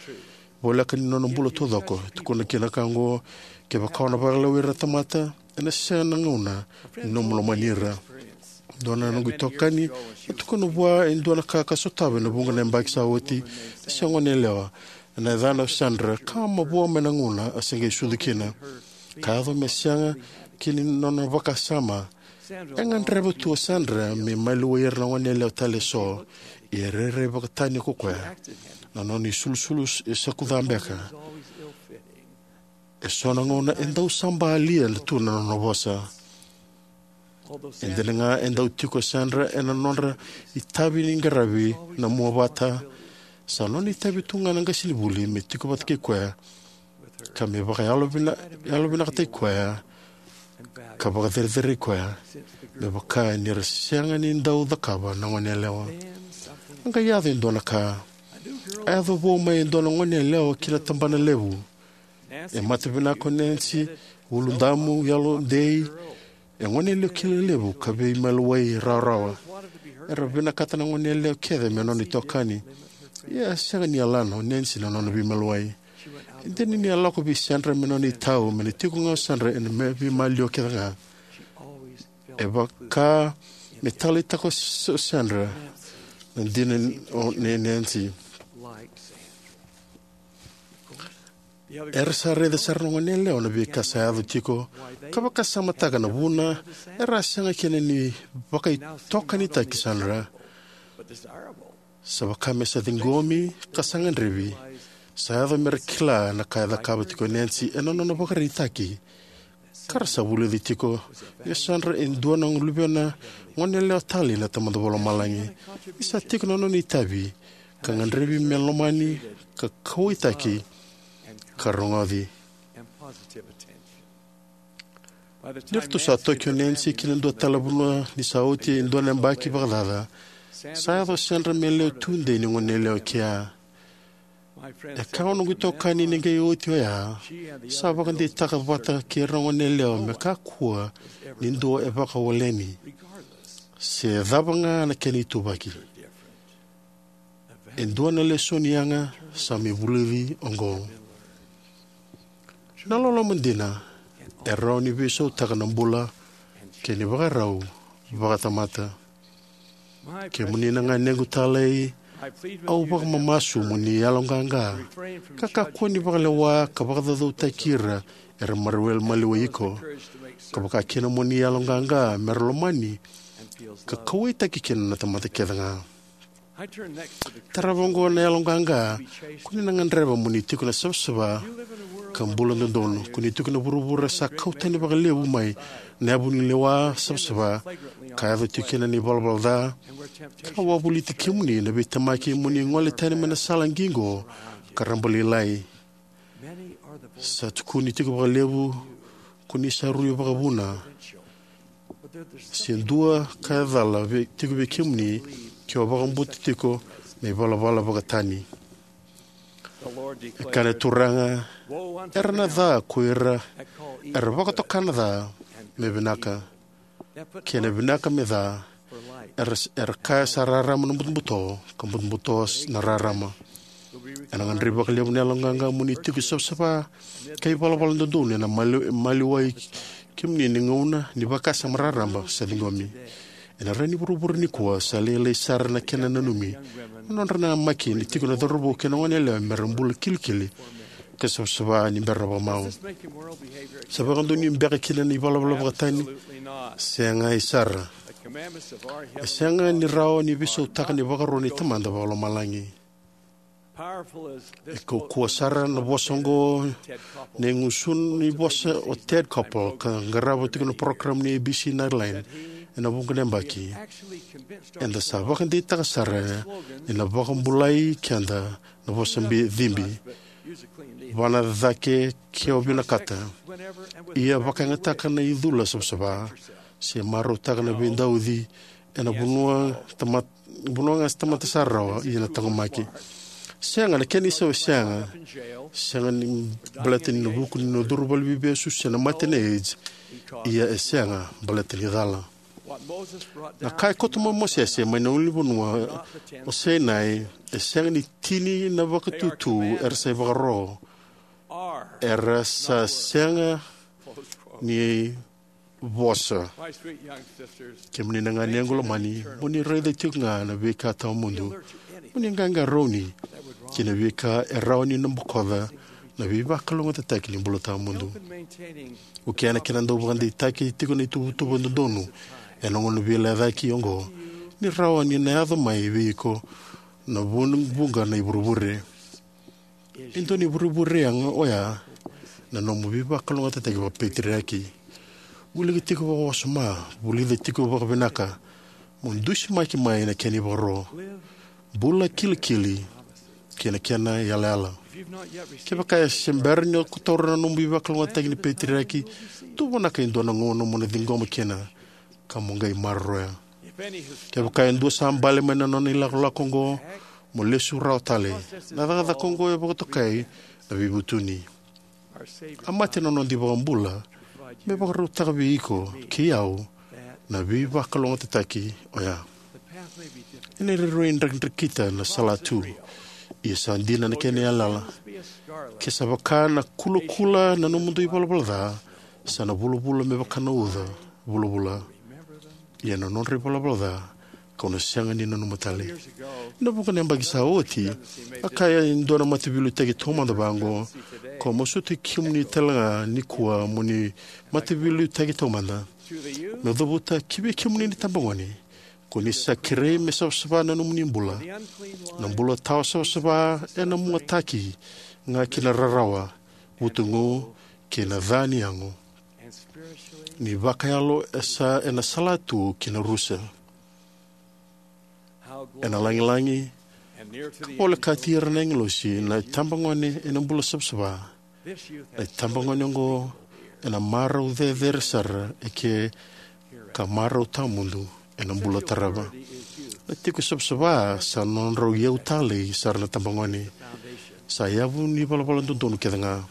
voleka ni nona bula taucoko. E tukuna kina ka oqo, kevaka o na vakalewai ira na tamata, ena sega na gauna ni nomu lomani ira. Dua na noqu itokani e tukuna vua e dua na ka ka sotava ena vuqa na yabaki sa oti, ni se goneyalewa. Ena yacana o Sandra, ka mavoa mai na gauna a se qai sucu kina. Ka yaco me sega kina ni nona vakasama. E gadreva tu o Sandra me maliwai ira na goneyalewa tale eso. Ia e rairai vakatani ko koya. Na nona isulusulu e sa kuca beka. E so na gauna e dau sabalia tu na nona vosa. E dina ga e dau tiko o Sandra ena nodra itavi ni qaravi na mua vata, sa nona itavi tu ga na qasenivuli me tiko vata kei koya, ka me vakayalo vina-, yalo vinakataki koya, ka vakacerecerei koya, me vaka ni ra sega ni dau cakava na goneyalewa. A qai yaco e dua na ka. A yaco vou mai e dua na goneyalewa ki na tabana levu. E mata vinaka o Nancy, uludamu, yalodei, e goneyalewa kilai levu ka veimaliwai rawarawa. Era vinakata na goneyalewa kece me nona itokani. Ia e sega ni yalana o Nancy na nona veimaliwai. E dina ni a lako vei Sandra me nona itau, me na tiko ga o Sandra ena me veimaliwa kece ga. E vaka me taleitaka o S-, o Sandra na dina o, nei Nancy. Era sa raica sara na goneyalewa na veika sa yaco tiko, ka vakasamataka na vuna era a sega kina ni vakaitokanitaki Sandra. Sa vaka me sa ciqomi ka sa gadrevi. Sa yaco me ra kila na ka e cakava tiko o Nancy ena nona vakaraitaki. Ka ra sa vulica tiko ni o Sandra e dua na luvena goneyalewa talei na Tamada Vakalomalagi. Ni sa tiko na nona itavi ka gadrevi me lomani ka kauwaitaki ka rogoci. Ni ratou sa toki o Nancy ki na dua tale na vanua ni sa oti e dua na yabaki vakacaca, sa yaco o Sandra me lewe tudei ni goneyalewa e kea. E kaya o noqu itokani ni qai oti oya, sa vakadeitaka vata kei ira na goneyalewa me kakua ni dua e vakawaleni, se cava ga na kena ituvaki. E dua na lesoni yaga sa mai vulici oqo. Na loloma dina e rawa ni veisautaka na bula kei na ivakarau vakatamata. Kemuni na ganequ talei, au vakamamasu mo ni yaloqaqa ka kakua ni vakalewa ka vakacaucautaki ira era maroroi maliwai iko, ka vakakina mo ni yaloqaqa me ra lomani ka kauwaitaki kina na tamata kece ga. Tarava oqo na yaloqaqa ko ni na gadreva mo ni tiko na savasava ka bula dodonu. Ko ni tiko na vuravura sa kau tani vakalevu mai na yavu ni lewa savasava, ka yaco tiko kina na ivalavala ca, ka wavoliti kemuni na veitemaki mo ni gole tani mai na sala qiqo ka rabalailai. Sa tukuni tiko vakalevu ko ni sa rui vakavuna. Se dua ka e cala vei, tiko vei kemuni ke o vakabauta tiko na ivalavala vakatani. E kaya na Turaga, era na ca ko ira era vakatoka na ca me vinaka, kei na vinaka me ca. Era, era kaya sa rarama na butobuto, ka butobuto na rarama. Ena gadrevi vakalevu na yaloqaqa mo ni tiko savasava ka ivalavala dodonu ena mali, maliwai kemuni ni gauna ni vakasama raraba sa ciqomi. Ena rai ni vuravura nikua sa lailai sara na kena nanumi na nodra namaki ni tiko na cauravou kei na goneyalewa mera bula kilikili ka savasava ni bera na vakamau. Sa vakadonui beka kina na ivalavala vakatani? Sega e sara. E sega ni rawa ni veisautaka na ivakaro ni Tamada Vakalomalagi. E kaukauwa sara na vosa oqo nei gusuna ni vosa o Ted Koppel, ka qarava tiko na parokaramu ni A B C Nightline ena vuqa na yabaki. Eda sa vakadeitaka sara ni na vakabulai keda na vosa bi- cibi, vana cake ke o vinakata. Ia vakayagataka na icula savasava se marautaka na veidauci ena vanua tamat- vanua ga se tamata sa rawa ia na taqomaki. Sega na kena isau e sega. Sega ni baleta ni na vuku ni na curu valeniveivesu se na mate na AIDS. Ia e sega baleta ni cala. Na ka e koto mai Mosese mai na ulunivanua o Sainai e sega ni tini na vakatutu era sa ivakaro. Era sa sega ni vosa. Kemuni na ganequ lomani, mo ni raica tiko ga na veika tawamudu. Mo ni qaqarauni ki na veika e rawa ni na bokoca na veivakalougatataki ni bula tawamudu. Ko kena kena dau vakadeitaki tiko na ituvatuva dodonu ena gauna veilecayaki oqo ni rawa ni na yaco mai vei iko na vu- vuqa na ivurevure. E dua na ivurevure yaga oya na nomu veivakalougatataki vakapeteriaki. Wilika tiko vakawasoma, vulica tiko vakavinaka, mo dusimaki mai na kena ivakaro. Bula kilikili kei na kena yalayala. Kevaka e se bera ni o taura na nomu veivakalougatataki ni peteriaki, tuvanaka e dua na gauna mo na ciqoma kina ka mo qai maroroya. Kevaka e dua sa bale mai na nona ilakolako oqo, mo lesu rawa tale. Na cakacaka oqo e vakatokai na veivutuni. A mate na noda iVakabula me vakarautaka vei iko kei au na veivakalougatataki oya. Ena rairai drakidrakita na salatu, ia sa dina na kena yalayala. Ke sa vaka na kulakula na nomudou ivalavala ca, sa na vulavula me vaka na uca vulavula. Ia na nodra ivalavala ca kau na sega ni nanuma tale. Ena vuqa na yabaki sa oti, a kaya e dua na mataveiliutaki taumada vaqo, kau masuta kemuni talega nikua mo ni mataveiliutaki taumada. Meu cavuta ki vei kemuni na itabagone, ko ni sa kerei me savasava na nomuni bula. Na bula tawa savasava ena muataki ga ki na rarawa, vutugu, kei na ca ni yago. Ni vakayalo e sa ena salatu ki na rusa. Ena lagilagi ka volekati ira na agilosi na itabagone ena bula savasava. Na itabagone oqo ena marau cecere sara eke ka marau tawamudu ena bula tarava. Na tiko savasava sa nodrau iyau talei sara na tabagone. Sa yavu ni valavala dodonu kece ga.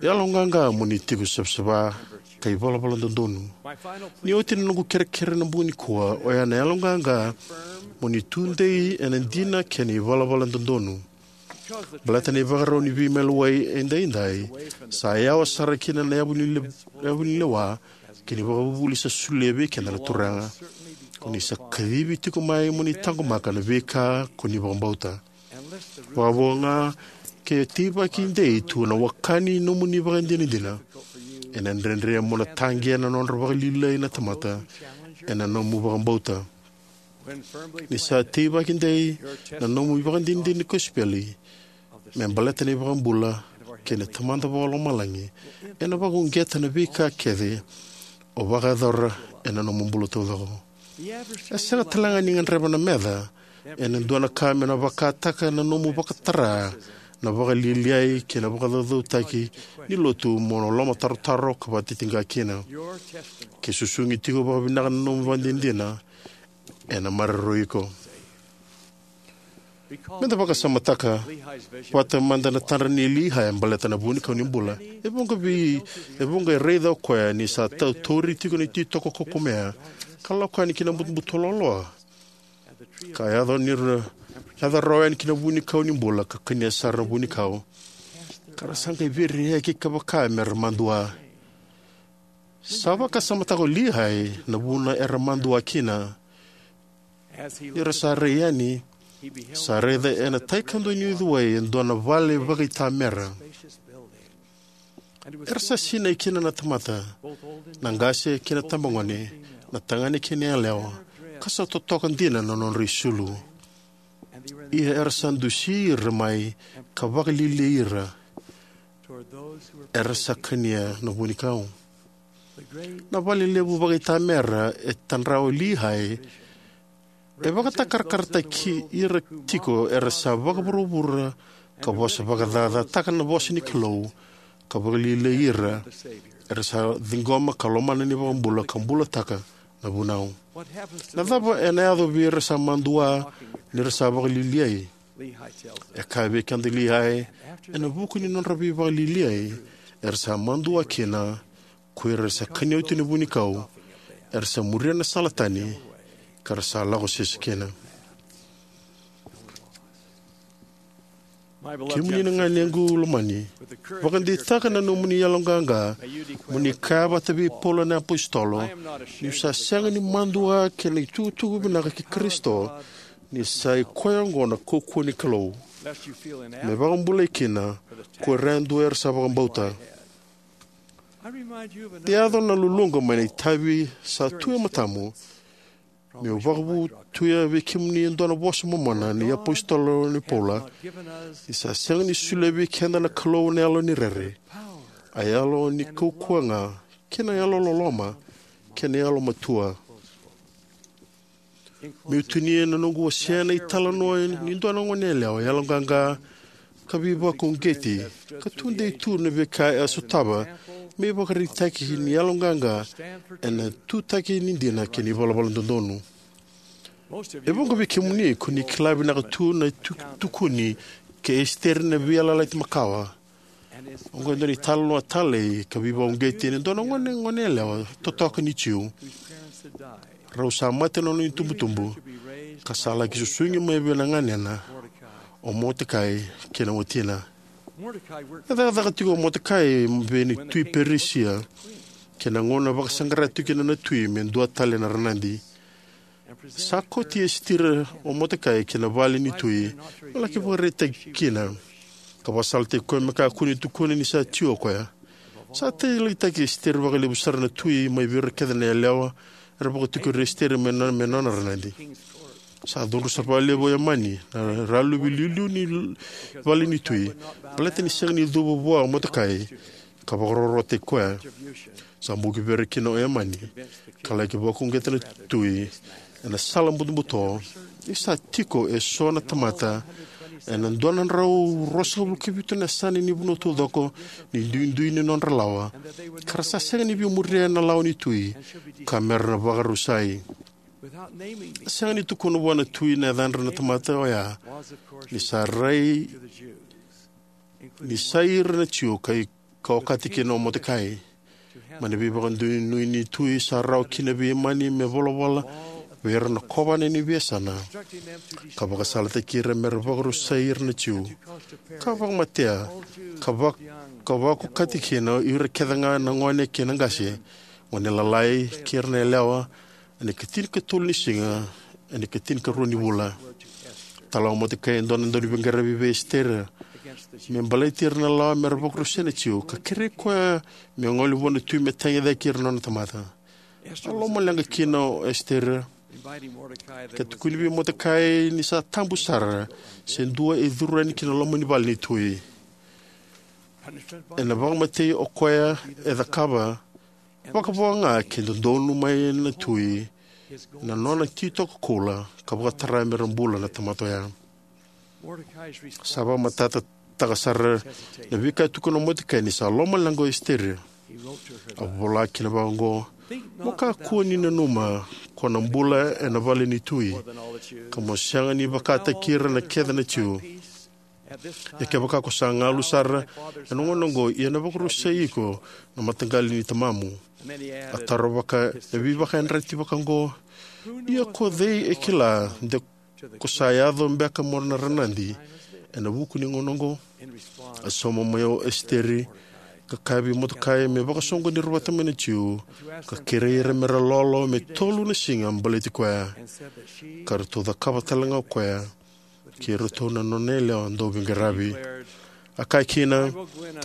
Yaloqaqa mo ni tiko savasava ka ivalavala dodonu. Ni oti na noqu kerekere na bogi nikua, oya na yaloqaqa mo ni tudei ena dina kei na ivalavala dodonu. Baleta na ivakarau ni veimaliwai edaidai sa yawa sara kina na yavu ni le- yavu ni lewa kei na ivakavuvuli sa solia vei keda na Turaga. Ko ni sa kacivi tiko mai mo ni taqomaka na veika ko ni vakabauta. Vakavo ga ke teivaki dei tu na waka ni nomuni vakadinadina. Ena dredre mo na taqea na nodra vakalialiai na tamata ena nomu vakabauta. Ni sa teivaki dei na nomu ivakadinadina ni kosipeli me baleta na iVakabula kei na Tamada Vakalomalagi, ena vakauqeta na veika kece o vakayacora ena nomu bula taucoko. E sega talega ni gadreva na meca ena dua na ka me na vakataka na nomu vakatara na vakalialiai kei na vakacaucautaki ni lotu mo na lomatarotaro ka vakatitiqa kina. Ke susugi tiko vakavinaka na nomu vakadinadina, ena maroroi iko. Meda vakasamataka vata mada na tadra nei Liai baleta na vunikau ni bula. E vuqa vei, e vuqa e raica o koya ni sa tautauri tiko na ititoko kokomea ka lako yani ki na butobuto loaloa. ka yaco ni ra yaco rawa yani ki na vunikau ni bula ka kania sara na vunikau, ka ra sa qai veireyaki ka vaka me ra madua. Sa vakasamataka o Lihai na vuna era madua kina. Ni ra sa rai yani, sa raica ena tai kadua ni uciwai e dua na vale vakaitamera. Era sa sinai kina na tamata, na qase kei na tabagone, na tagane kei na yalewa, ka sa totoka dina na nodra isulu. Ia era sa dusi ira mai ka vakalialiai ira era sa kania na vunikau. Na vale levu vakaitamera e tadra o Lihai e vakatakarakarataki ira tiko era sa vakavuravura ka vosa vakacacataka na vosa ni Kalou, ka vakalialiai ira era sa ciqoma ka lomana na iVakabula ka bulataka na vunau. Na cava ena yaco vei ira sa madua ni ra sa vakalialiai? E kaya vei keda o Lihai, ena vuku ni nodra veivakalialiai era sa madua kina, ko ira era sa kania oti na vunikau, era sa muria na sala tani, ka ra sa lako sese kina. Kemuni na ganequ lomani, vakadeitaka na nomuni yaloqaqa, mo ni kaya vata vei Paula na apositolo, niu sa sega ni madua kei na itukutuku vinaka kei Karisito, ni sa i koya oqo na kaukauwa ni Kalou, me vakabulai kina ko ira yadua era sa vakabauta. Yaco na luluqa mai na itavi sa tu e matamu, meu vakavutuya vei kemuni e dua na vosa momona ni apositolo ni Paula, ni sa sega ni solia vei keda na Kalou na yalo ni rere, a yalo ni kaukauwa ga, kei na yalo loloma, kei na yalo matua. Meu tinia na noqu wasea na italanoa ni dua na goneyalewa yaloqaqa ka veivakauqeti, ka tudei tu na veika e a sotava me ivakaraitaki ni yaloqaqa ena tutaki ni dina kei na ivalavala dodonu. E vuqa vei kemuni ko ni kila vinaka tu na tu- tukuni kei Esiteri na Veiyalayalati Makawa. Oqo e dua na italanoa talei ka veivakauqeti ena dua na gone goneyalewa totoka ni Jiu. Rau sa mate na nona itubutubu, ka sa laki susugi mai vei na ganena, o Motekai, kei na watina. E cakacaka tiko o Motekai vei na tui Perisia kei na gauna vakasaqara tiko kina na tui me dua tale na ranadi. Sa kauti Esitera o Motekai ki na vale ni tui me laki vakaraitaki kina, ka vakasalataki koya me kakua ni tukuna ni sa Jiu o koya. Sa taleitaki Esitera vakalevu sara na tui mai vei ira kece na yalewa era vakatikori Esitera me nona, me nona ranadi. Sa cudru sara vakalevu o Emani, na raluvi liuliu ni vale ni tui, baleta ni sega ni cuva vua o Motekai ka vakarorotaki koya. Sa buki vei ira kina o Emani, ka laki vakauqeta na tui ena sala butobuto, ni sa tiko eso na tamata ena dua na drau ruasagavulu ka vitu na yasana ni vanua taucoko ni duidui ni nodra lawa, ka ra sa sega ni via muria na lawa ni tui, ka me ra na vakarusai. A sega ni tukuna vua na tui na yacadra na tamata oya, ni sa rai ni sa ira na Jiu ka i- ka okati kina o Motekai. Mai na veivakadonui ni tui sa rawa kina vei Emani me volavola vei ira na kovana ni veiyasana, ka vakasalataki ira me ra vakarusai ira na Jiu, ka vakamatea, ka vak- ka vakaokati kina o ira kece ga na gone kei na qase, gone lalai kei ira na yalewa, ena ikatinikatolu ni siga ena ikatinikarua ni vula. Tala o Motekai e dua na dauniveiqaravi vei Esitera me baleti ira na lawa me ra vakarusai na Jiu, ka kerei koya me gole vua na tui me tagicaki ira na nona tamata. A lomaleqa kina o Esitera, ka tukuni vei Motekai ni sa tabu sara se dua e curu yani ki na loma ni vale ni tui. Ena vakamatei o koya e cakava, vakavo ga ke dodonu mai na tui na nona titoka koula ka vakatara me ra bula na tamata oya. Sa vakamatatataka sara na veika e tukuna o Motekai ni sa lomaleqa o Esitera. A vola kina vaqo: "Mo kakua ni nanuma ko na bula ena vale ni tui, ka mo sega ni vakataki ira na kece na Jiu. Ia kevaka ko sa galu sara ena gauna oqo, ia na vakarusai iko na mataqali ni tamamu." A taro vaka, e veivakayadrati vaka oqo: "Ia ko cei e kila de Ko sa yaco beka mo na ranadi ena vuku ni gauna oqo? A sauma mai o Esiteri ka kaya vei Motokai me vakasoqoni ira vata mai na Jiu, ka kerei ira me ra lolo me tolu na siga baleti koya, ka ratou cakava tale ga o koya kei iratou na nona yalewa dauveiqaravi. A kaya kina,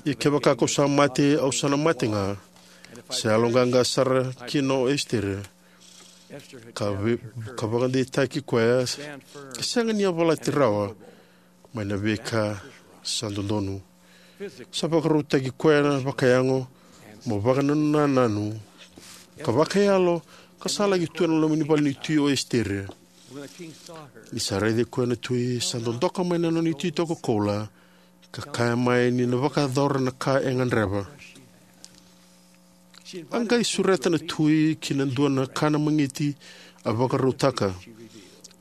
ia kevaka kau sa mate, au sa na mate ga. Sa yaloqaqa sara kina o Esiteri, ka, ve, ka vakadeitaki koya, ka sega ni yavalati rawa mai na veika sa dodonu. Sa vakarautaki koya na vakayago mo vakanananu, ka vakayalo, ka sa laki tu ena loma ni vale ni tui o Esiteri. Ni sa raici koya na tui, sa dodoka mai na nona ititoko koula, ka kaya mai ni na vakayacora na ka e gadreva. A qai sureta na tui ki na dua na kana magiti a vakarautaka.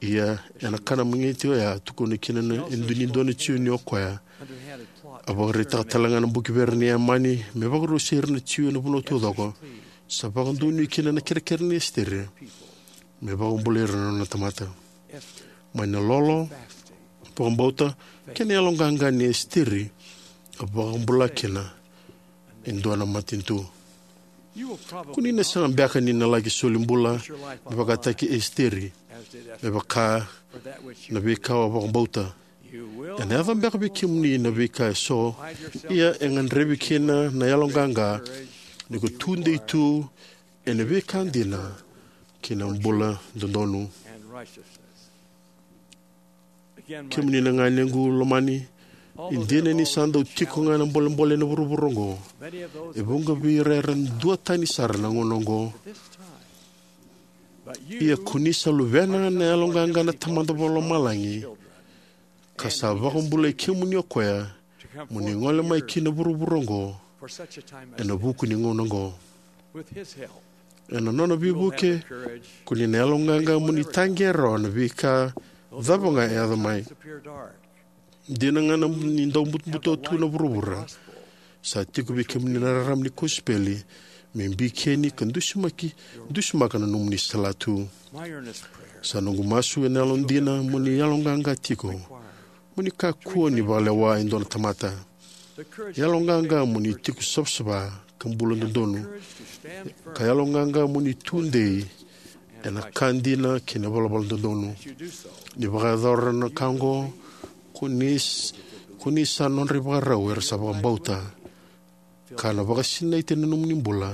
Ia, ena kana magiti oya, tukuna kina na, e dua ni dua na Jiu ni o koya. A vakaraitaka tale ga na buki vere ni Emani me vakarusai ira na Jiu ena vanua taucoko. Sa vakadonui kina na kerekere ni Esiteri me vakabulai ira na nona tamata. Mai na lolo, vakabauta, kei na yaloqaqa ni Esiteri, a vakabula kina e dua na matanitu. Ko ni na sega beka ni na laki soli bula me vakataki Esiteri, me vaka na veika o vakabauta. Ena yaco beka vei kemuni na veika eso, ia e gadrevi kina na yaloqaqa ni ko tudei tu ena veika dina kei na bula dodonu. Kemuni na ganequ lomani, e dina ni sa dau tiko ga na bolebole ena vuravura oqo. E vuqa vei ira era duatani sara na gauna oqo. Ia ko ni sa luvena na yaloqaqa na Tamada Vakalomalagi, ka sa vakabulai kemuni o koya mo ni gole mai ki na vuravura oqo ena vuku ni gauna oqo. Ena nona veivuke, ko ni na yaloqaqa mo ni taqea rawa na veika cava ga e yaco mai. Dina ga na ni dau butobuto tu na vuravura, sa tiko vei kemuni na rarama ni kosipeli me bikeni ka dusimaki, dusimaka na nomuni salatu. Sa noqu masu ena yalodina mo ni yaloqaqa tiko, mo ni kakua ni vakalewa e dua na tamata. Yaloqaqa mo ni tiko savasava ka bula dodonu, ka yaloqaqa mo ni tudei ena ka dina kei na valavala dodonu. Ni vakayacora na ka oqo, ko ni s-, ko ni sa nodra ivakarau era sa vakabauta, ka na vakasinaiti na nomuni bula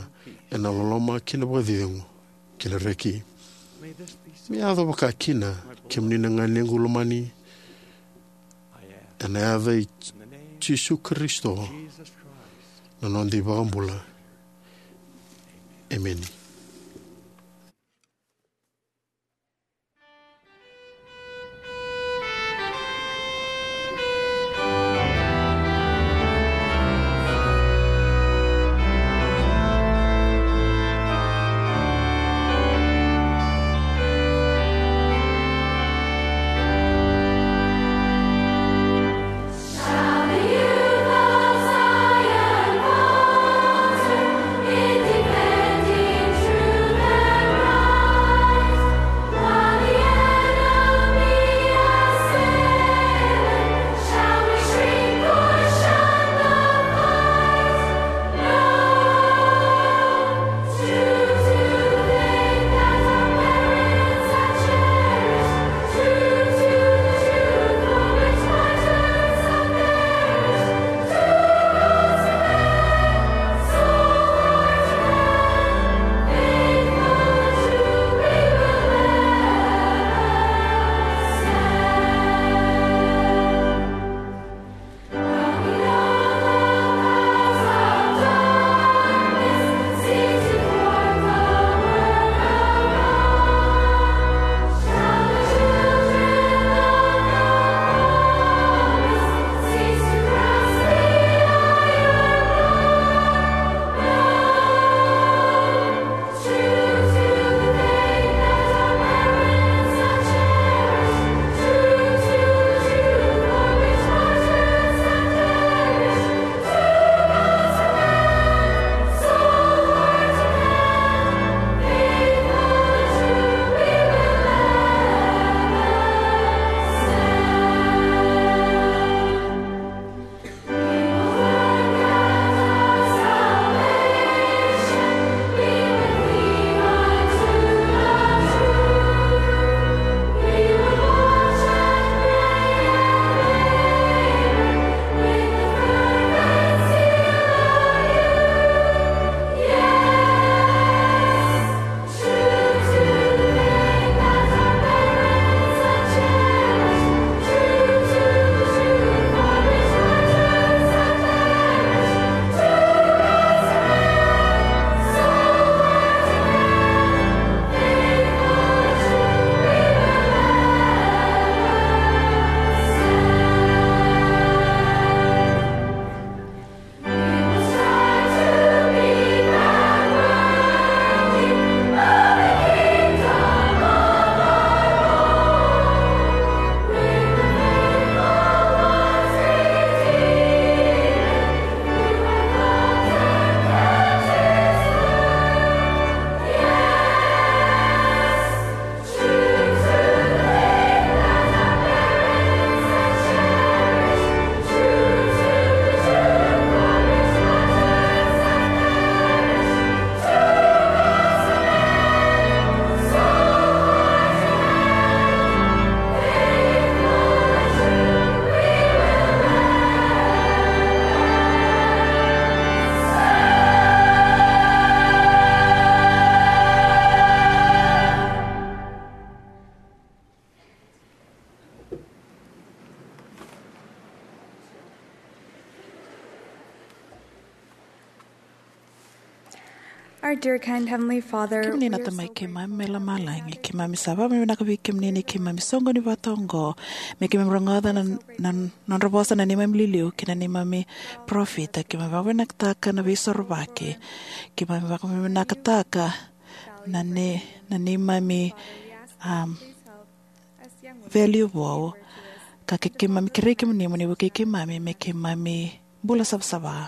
ena loloma kei na vakacegu kei na reki. Me yaco vaka kina, kemuni na ganequ lomani, ena yaca i Jisu Karisito, na noda iVakabula. Emeni. Our dear, kind Heavenly Father, kemuni na Tamai keimami mai lomalagi, keimami sa vakavinavinaka vei kemuni ni keimami soqoni vata oqo me keimami rogoca na, na nodra vosa na neimami liliu kei na neimami parofita. Keimami vakavinavinakataka na veisorovaki. Keimami vakavinavinakataka na ne, na neimami, um, value vou. Ka ke keimami kerei kemuni mo ni vukei keimami me keimami bula savasava.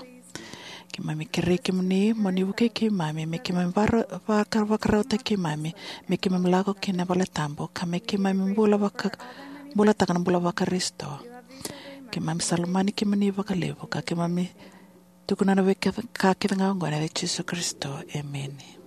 Keimami kerei kemuni mo ni vukei keimami me keimami vara-, vaka-, vakarautaki keimami me keimami lako ki na vale tabu ka me keimami bula vaka-, bulataka na bula vaKarisito. Keimami sa lomani kemuni vakalevu ka keimami tukuna na veika kece ga oqo ena yaca i Jisu Karisito. Emeni.